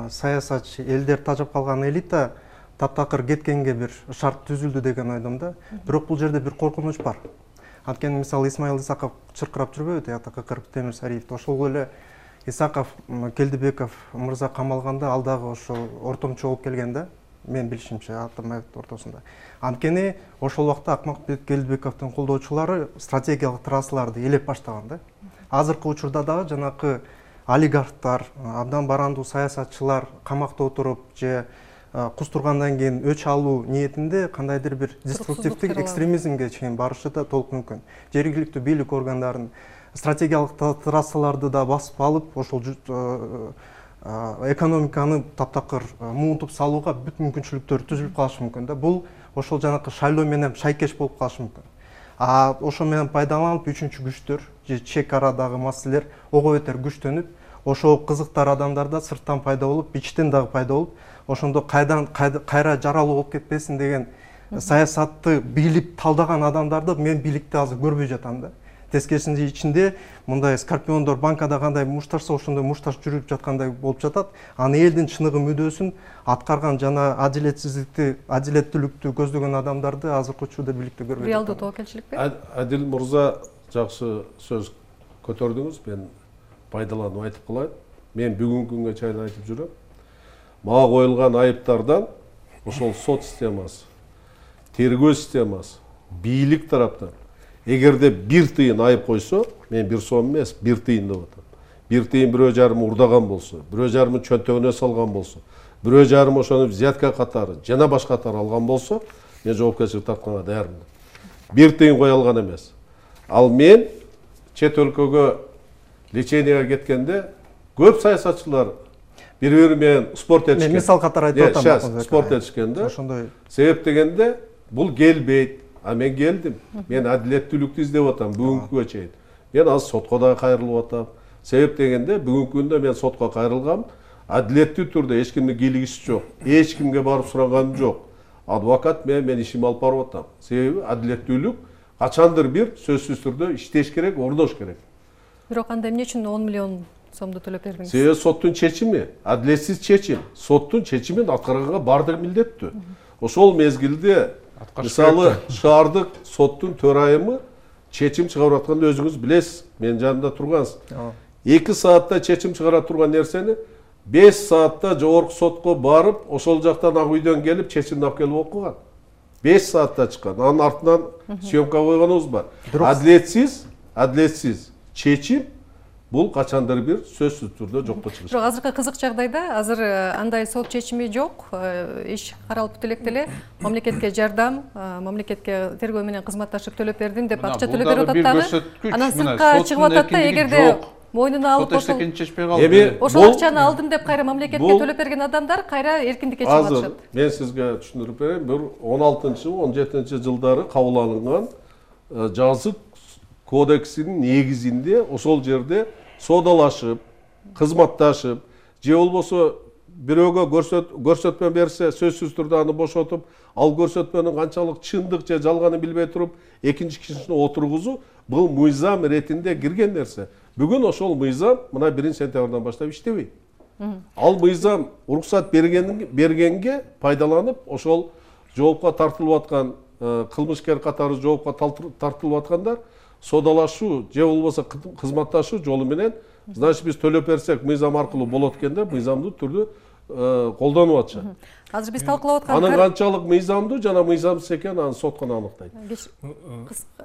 [SPEAKER 10] саясатчы элдер тажап калган элита таптакыр кеткенге бир шарт түзүлдү деген ойдом да. Бирок бул жерде бир коркунуч бар. Анткени мисалы Исмаил Исаков чыркырап жүрбөйбү, тиякта Кыкыр Темирсариев. Ошол эле Исаков, Келдибеков мырза камалганда ал дагы ошол ортомчу болуп келген да. Мен билишимче Атамбаевдин ортосунда. Анткени ошол убакта Акмакбек Келдибековдун колдоочулары стратегиялык трассаларды элеп баштаган да. Азыркы учурда дагы жанакы олигархтар, абдан барандуу саясатчылар камакта отуруп же кустургандан кийин өч алуу ниетинде кандайдыр бир деструктивдик экстремизмге чейин барышы да толук мүмкүн. Жергиликтүү бийлик органдарын стратегиялык трассаларды да басып алып, ошол экономиканы таптакыр муунтуп салууга бүт мүмкүнчүлүктөр түзүлүп калышы мүмкүн да. Бул ошол жанакы шайлоо менен шайкеш болуп калышы мүмкүн. А ошо менен пайдаланып үчүнчү күчтөр же чек арадагы маселелер ого бетер күчтөнүп, ошол кызыктар адамдарда сырттан пайда болуп, ичтен дагы пайда болуп, ошондо кайдан кайра жаралуу болуп кетпесин деген саясатты бийлик талдаган адамдарды мен бийликте азыр көрбөй жатам да. Тескерисинче ичинде мындай скорпиондор банкада кандай мушташса ошондой мушташ жүрүп жаткандай болуп жатат. Аны элдин чыныгы мүдөөсүн аткарган жана адилетсиздикти, адилеттүүлүктү көздөгөн адамдарды азыркы учурда бийликте көрбөй жатам.
[SPEAKER 1] Реалдуу тобокелчиликпи?
[SPEAKER 9] Адил мырза жакшы сөз көтөрдүңүз. Мен пайдаланып айтып калайын. Мен бүгүнкү күнгө чейин айтып жүрөм. Мага коюлган айыптардан ошол сот системасы, тергөө системасы, бийлик тараптан эгерде бир тыйын айып койсо, мен бир сом эмес, бир тыйын деп атам. Бир тыйын бирөө жарым урдаган болсо, бирөө жарымын чөнтөгүнө салган болсо, бирөө жарым ошону взятка катары жана башка катары алган болсо, мен жоопкерчилик тартканга даярмын. Бир тыйын кое алган эмес. Ал мен чет өлкөгө леченияга кеткенде көп саясатчылар бири-бири менен спорт этишкен.
[SPEAKER 10] Мен мисал катары айтып атам.
[SPEAKER 9] Спорт этишкенде. Ошондой себеп дегенде бул келбейт. А мен келдим. Мен адилеттүүлүктү издеп атам бүгүнкүгө чейин. Мен азыр сотко да кайрылып атам. Себеп дегенде бүгүнкү күндө мен сотко кайрылгам. Адилеттүү түрдө эч кимдин кийлигиси жок. Эч кимге барып сураганым жок. Адвокат мен мен ишимди алып барып атам. Себеби адилеттүүлүк качандыр бир сөзсүз түрдө иштеш керек, ордош керек.
[SPEAKER 1] Бирок анда эмне үчүн он миллион сомду төлөп бердиңиз?
[SPEAKER 9] Себеби соттун чечими, адилетсиз чечим. Соттун чечимин аткарганга бардыгы милдеттүү. Ошол мезгилде мисалы шаардык соттун төрайымы чечим чыгарып атканда өзүңүз билесиз, менин жанымда тургансыз. эки саатта чечим чыгара турган нерсени беш саатта жогорку сотко барып, ошол жактан ак үйдөн келип чечимди алып келип окуган. беш саатта чыккан. Анын артынан съемка койгонубуз бар. Адилетсиз, адилетсиз чечим бул качандыр бир сөзсүз түрдө жокко чыгыш.
[SPEAKER 1] Бирок азыркы кызык жагдайда азыр андай сот чечими жок, иш каралып электе эле мамлекетке жардам, мамлекетке тергөө менен кызматташып төлөп бердим деп акча төлөп берип атат дагы. Анан сыртка чыгып атат да, эгерде мойнуна алып ошол ошол акчаны алдым деп кайра мамлекетке төлөп берген адамдар кайра эркиндикке чыгып атышат.
[SPEAKER 9] Азыр мен сизге түшүндүрүп берейин. Бир он алтынчы он жетинчи жылдары кабыл алынган жазык кодексинин негизинде ошол жерде соодалашып, кызматташып, же болбосо бирөөгө көрсөтмө берсе сөзсүз түрдө аны бошотуп, ал көрсөтмөнүн канчалык чындык же жалганын билбей туруп экинчи кишини отургузуу бул мыйзам иретинде кирген нерсе. Бүгүн ошол мыйзам мына биринчи сентябрдан баштап иштебейт. Ал мыйзам уруксат бергенге пайдаланып, ошол жоопко тартылып аткан кылмышкер катары жоопко тартылып аткандар содалашуу же болбосо кызматташуу жолу менен, значит биз төлөп берсек мыйзам аркылуу болот экенде, мыйзамдуу түрдө колдонуп атышат.
[SPEAKER 1] Азыр биз талкуулап аткан
[SPEAKER 9] анын канчалык мыйзамдуу жана мыйзамсыз экенин аны сот гана аныктайт.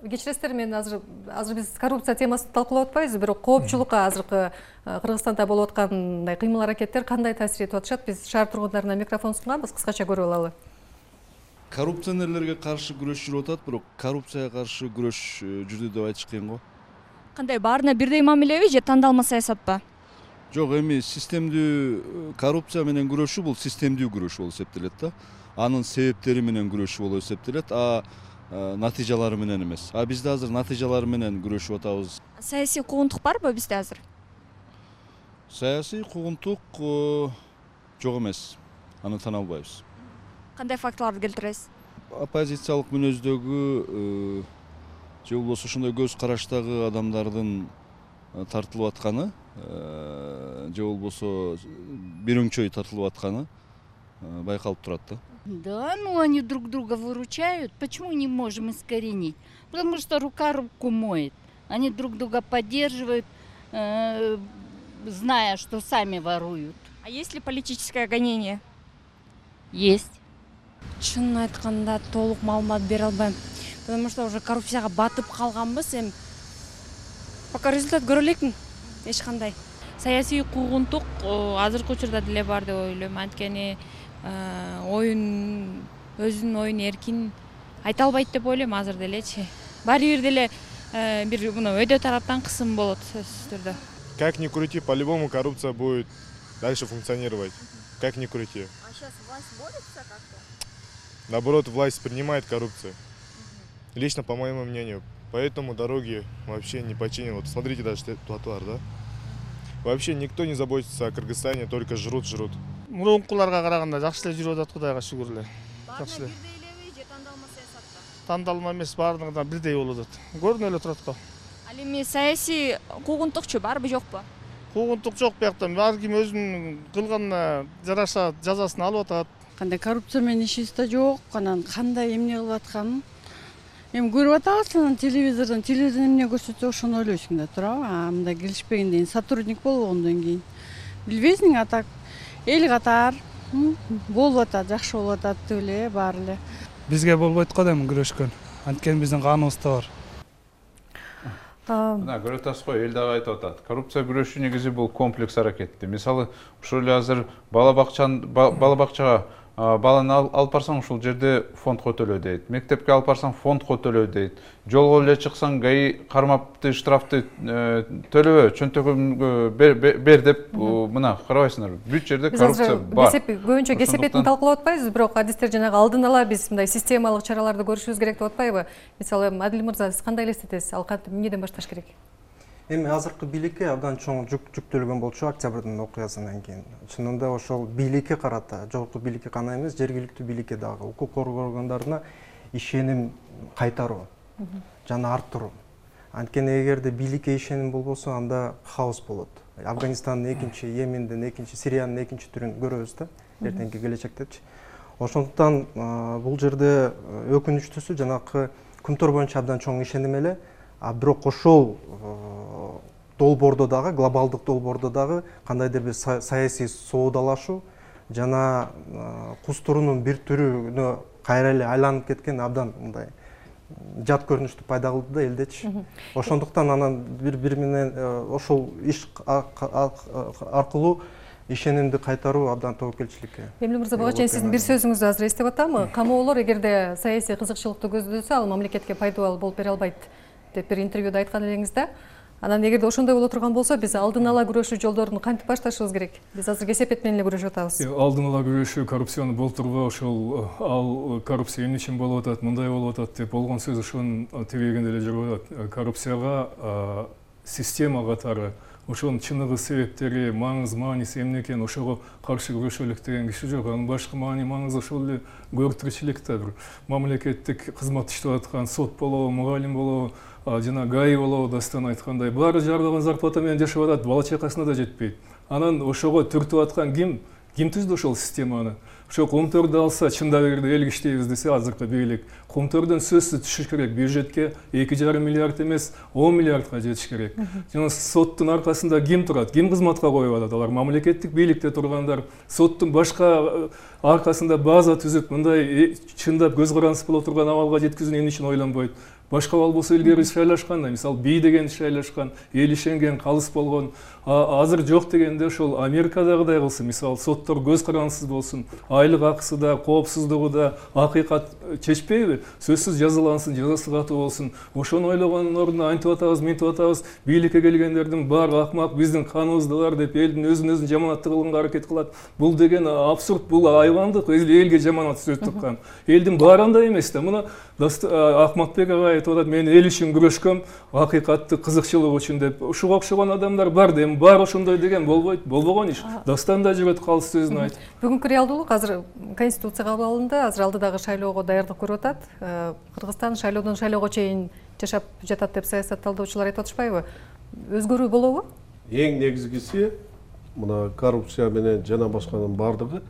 [SPEAKER 1] Кечиресиздер, мен азыр азыр биз коррупция темасын талкуулап атпайбыз, бирок коопчулукка азыркы Кыргызстанда болуп аткандай кыймыл аракеттер кандай таасир этип атышат? Биз шаар тургундарына микрофон сунганбыз, кыскача көрүп алалы.
[SPEAKER 11] Коррупционерлерге каршы күрөш жүрүп атат, бирок коррупцияга каршы күрөш жүрдү деп айтыш кыйын го.
[SPEAKER 12] Кандай, баарына бирдей мамилеби же тандалма саясатпа?
[SPEAKER 11] Жок, эми системдүү коррупция менен күрөшүү бул системдүү күрөш болуп эсептелет да. Анын себептери менен күрөшүү болуп эсептелет, а натыйжалары менен эмес. А бизде азыр натыйжалары менен күрөшүп атабыз.
[SPEAKER 12] Саясий куугунтук барбы бизде азыр?
[SPEAKER 11] Саясий куугунтук жок эмес. Аны тана албайбыз.
[SPEAKER 12] Кандай фактыларды келтиресиз?
[SPEAKER 11] Оппозициялык мүнөздөгү же болбосо ошондой көз караштагы адамдардын тартылып атканы, же болбосо бир өңчөй тартылып атканы байкалып турат да.
[SPEAKER 13] Да, ну они друг друга выручают. Почему не можем искоренить? Потому что рука руку моет. Они друг друга поддерживают, э, зная, что сами воруют.
[SPEAKER 12] А есть ли политическое гонение?
[SPEAKER 13] Есть.
[SPEAKER 14] Чынын айтканда толук маалымат бере албайм. Потому что уже коррупцияга батып калганбыз, эми пока результат көрө элекмин. Эч кандай. Саясий куугунтук азыркы учурда деле бар деп ойлойм. Анткени оюн өзүнүн оюн эркин айта албайт деп ойлойм азыр делечи. Баары бир деле бир мына өйдө тараптан кысым болот сөзсүз түрдө.
[SPEAKER 15] Как ни крути, по-любому коррупция будет дальше функционировать. Как ни крути.
[SPEAKER 12] А сейчас власть борется как-то?
[SPEAKER 15] Наоборот, власть принимает коррупцию. Лично, по моему мнению. Поэтому дороги вообще не починены. Вот смотрите, даже тротуар, да? Вообще никто не заботится о Кыргызстане, только жрут, жрут.
[SPEAKER 16] Мурункуларга караганда жакшы эле жүрүп атат, Кудайга шүгүр эле.
[SPEAKER 12] Баарына бирдей элеби же тандалма саясатта?
[SPEAKER 16] Тандалма эмес, баарына бирдей болуп атат. Көрүнүп эле турат го.
[SPEAKER 12] Ал эми саясий куугунтукчу барбы жокпу?
[SPEAKER 16] Куугунтук жок биякта. Ар ким өзүнүн кылганына жараша жазасын алып атат.
[SPEAKER 17] Кандай коррупция менен ишибиз да жок, анан кандай эмне кылып атканын эми көрүп атабыз, анан телевизордон телевизор эмне көрсөтсө ошону ойлойсуң да туурабы? А мындай келишпегенден сотрудник болгондон кийин билбейсиң, а так эл катар болуп атат, жакшы болуп атат деп эле баары эле.
[SPEAKER 18] Бизге болбойт го дейм күрөшкөн. Анткени биздин каныбызда бар.
[SPEAKER 8] Мына көрүп атасыз го, эл дагы айтып атат. Коррупция күрөшүү негизи бул комплекс аракетти. Мисалы, ушул эле азыр бала бакчаны бала бакчага баланы алып барсаң ушул жерде фондко төлөө дейт. Мектепке алып барсаң фондко төлөө дейт. Жолго эле чыксаң ГАИ кармапты, штрафты төлөбө, чөнтөгүмгө бер деп мына карабайсыңдар. Бүт жерде коррупция бар.
[SPEAKER 1] Кесеп көбүнчө кесепетин талкуулап атпайбыз, бирок адистер жанагы алдын ала биз мындай системалык чараларды көрүшүбүз керек деп атпайбы? Мисалы, Адил мырза, сиз кандай элестетесиз? Ал кантип эмнеден башташ керек?
[SPEAKER 10] Эми азыркы бийликке абдан чоң жүк жүктөлгөн болчу октябрдын окуясынан кийин. Чынында ошол бийликке карата, жогорку бийликке гана эмес, жергиликтүү бийликке дагы укук коргоо органдарына ишеним кайтаруу жана арттыруу. Анткени эгерде бийликке ишеним болбосо, анда хаос болот. Афганистандын экинчи, Йемендин экинчи, Сириянын экинчи түрүн көрөбүз да, эртеңки келечектечи. Ошондуктан бул жерде өкүнүчтүүсү жанакы Күмтөр боюнча абдан чоң ишеним эле. А бирок ошол долбоордо дагы, глобалдык долбоордо дагы кандайдыр бир саясий соодалашуу жана кустурунун бир түрүнө кайра эле айланып кеткен абдан мындай жат көрүнүштү пайда кылды да элдечи. Ошондуктан анан бири-бири менен ошол иш аркылуу ишенимди кайтаруу абдан тобокелчиликке.
[SPEAKER 1] Эмне мырза, буга чейин сиздин бир сөзүңүздү азыр эстеп атамы? Камоолор эгерде саясий кызыкчылыкты көздөсө, ал мамлекетке пайдалуу болуп бере албайт деп бир интервьюда айткан элеңиз да. Анан эгерде ошондой боло турган болсо, биз алдын ала күрөшүү жолдорун кантип башташыбыз керек? Биз азыр кесепет менен эле күрөшүп атабыз.
[SPEAKER 7] Алдын ала күрөшүү, коррупцияны болтурбоо, ошол ал коррупция эмне үчүн болуп атат, мындай болуп атат деп болгон сөз ошонун тегегенде эле жүрүп атат. Коррупцияга система катары ошонун чыныгы себептери, маңыз мааниси эмне экени ошого каршы күрөшөлүк деген киши жок. Анын башкы маани маңызы ошол эле көрүп да бир мамлекеттик кызмат иштеп аткан сот болобу, мугалим болобу, жана гаи болобу, дастан айткандай баары жарган зарплата менен жашап атат, бала чакасына да жетпейт. Анан ошого түртүп аткан ким? Ким түздү ошол системаны? Ошо Кумтөрдү алса, чында бергенде эл иштейбиз десе, азыркы бийлик Кумтөрдөн сөзсүз түшүш керек. Бюджетке эки жарым миллиард эмес, он миллиардга жетиш керек. Жана соттун аркасында ким турат? Ким кызматка коюп атат? Алар мамлекеттик бийликте тургандар. Соттун башка аркасында база түзүп, мындай чындап көз карандысыз боло турган абалга жеткизүүнү эмне үчүн ойлонбойт? Башка абал болсо илгери шайлашкандай, мисалы бий деген шайлашкан, эл ишенген, калыс болгон. Азыр жок дегенде ошол Америкадагыдай кылсын, мисалы соттор көз карандысыз болсун, айлык акысы да, коопсуздугу да, акыйкат чечпейби? Сөзсүз жазалансын, жазасы катуу болсун. Ошону ойлогондун ордуна антип атабыз, мынтип атабыз, бийликке келгендердин баары акмак, биздин каныбыздылар деп элдин өзүн өзүн жаманаттуу кылганга аракет кылат. Бул деген абсурд, бул айвандык, элге жаманат сөз туккан. Элдин баары андай эмес да. Мына Акматбек агай айтып атат, мен эл үчүн күрөшкөм, акыйкатты кызыкчылык үчүн деп. Ушуга окшогон адамдар бар да, эми баары ошондой деген болбойт, болбогон иш. Дастан да жүрөт калыс сөзүн айтып.
[SPEAKER 1] Бүгүнкү реалдуулук азыр конституция кабыл алынды, азыр алдыдагы шайлоого даярдык көрүп атат. Кыргызстан шайлоодон шайлоого чейин жашап жатат деп саясатталдоочулар айтып атышпайбы? Өзгөрүү болобу?
[SPEAKER 9] Эң негизгиси мына коррупция менен жана башканын бардыгы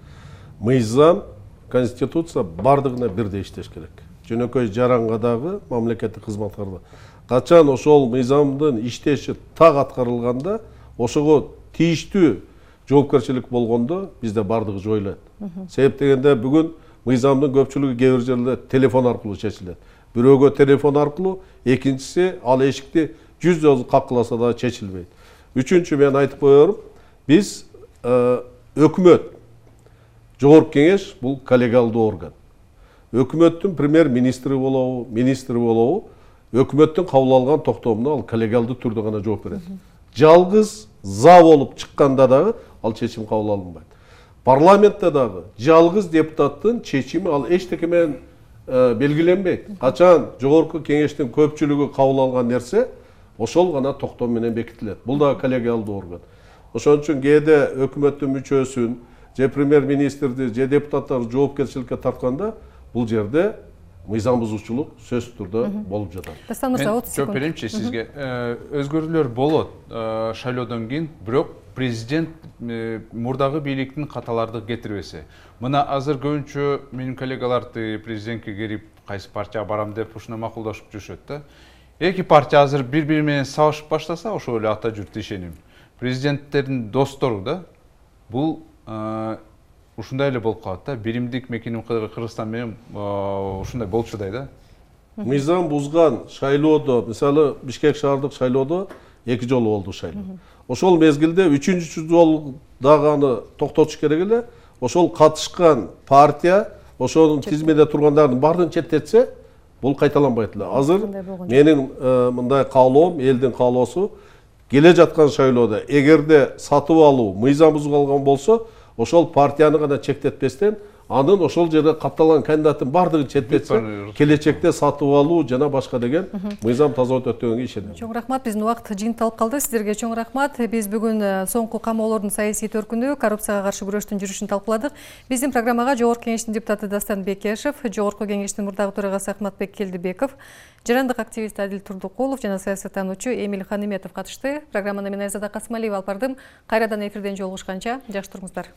[SPEAKER 9] мыйзам, конституция бардыгына бирдей иштеш керек. Жөнөкөй жарангадагы мамлекеттик кызматкарда качан ошол мыйзамдын иштеши так аткарылганда, ошого тийиштүү жоопкерчилик болгондо бизде бардыгы жоюлат. Себеп дегенде бүгүн мыйзамдын көпчүлүгү кээ бир жерлерде телефон аркылуу чечилет. Бирөөгө телефон аркылуу, экинчиси ал эшикти жүз жолу каккыласа да чечилбейт. Үчүнчү мен айтып коерум, биз өкмөт, жогорку кеңеш бул коллегиалдуу орган. Өкмөттүн премьер-министри болобу, министри болобу, өкмөттүн кабыл алган токтомуна ал коллегиалдуу түрдө гана жооп берет. Жалгыз за болуп чыкканда дагы ал чечим кабыл алынбайт. Парламентте дагы жалгыз депутаттын чечими ал эчтеке менен белгиленбейт. Качан жогорку кеңештин көпчүлүгү кабыл алган нерсе, ошол гана токтом менен бекитилет. Бул да коллегиалдуу орган. Ошон үчүн кээде өкмөттүн мүчөсүн, же премьер-министрди, же депутаттарды жоопкерчиликке тартканда, бул жерде мыйзам бузуучулук сөзсүз түрдө болуп жатат.
[SPEAKER 8] Мен жооп беремчи сизге. Өзгөрүүлөр болот шайлоодон кийин, бирок президент мурдагы бийликтин каталарды кетирбесе. Мына азыр көбүнчө менин коллегаларды президентке келип, кайсы партияга барам деп ушуна макулдашып жүрүшөт да. Эки партия азыр бири-бири менен сабашып баштаса, ошол эле ата журт ишеним. Президенттердин достору да бул ушундай эле болуп калат да. Биримдик мекеним Кыргызстан менен ушундай болуп жатат да.
[SPEAKER 9] Мыйзам бузган шайлоодо, мисалы Бишкек шаардык шайлоодо эки жолу болду шайлоо. Ошол мезгилде үчүнчү жолу дагы аны токтотуш керек эле. Ошол катышкан партия ошонун тизмеде тургандардын баарын четтетсе, бул кайталанбайт эле. Азыр менин мындай каалоом, элдин каалоосу, келе жаткан шайлоодо эгерде сатып алуу мыйзам бузулган болсо, ошол партияны гана чектетпестен, анын ошол жерде катталган кандидаттын бардыгын четтетсе, келечекте сатып алуу жана башка деген мыйзам таза өтөт дегенге ишенем.
[SPEAKER 1] Чоң рахмат, биздин убакыт жыйынталып калды. Сиздерге чоң рахмат. Биз бүгүн соңку камоолордун саясий төркүнү, коррупцияга каршы күрөштүн жүрүшүн талкууладык. Биздин программага Жогорку кеңештин депутаты Дастан Бекешев, Жогорку кеңештин мурдагы төрагасы Акматбек Келдибеков, жарандык активист Адил Турдукулов жана саясаттануучу Эмиль Ханиметов катышты. Программаны мен Айзада Касымалиева алып бардым. Кайрадан эфирден жолугушканча жакшы туруңуздар.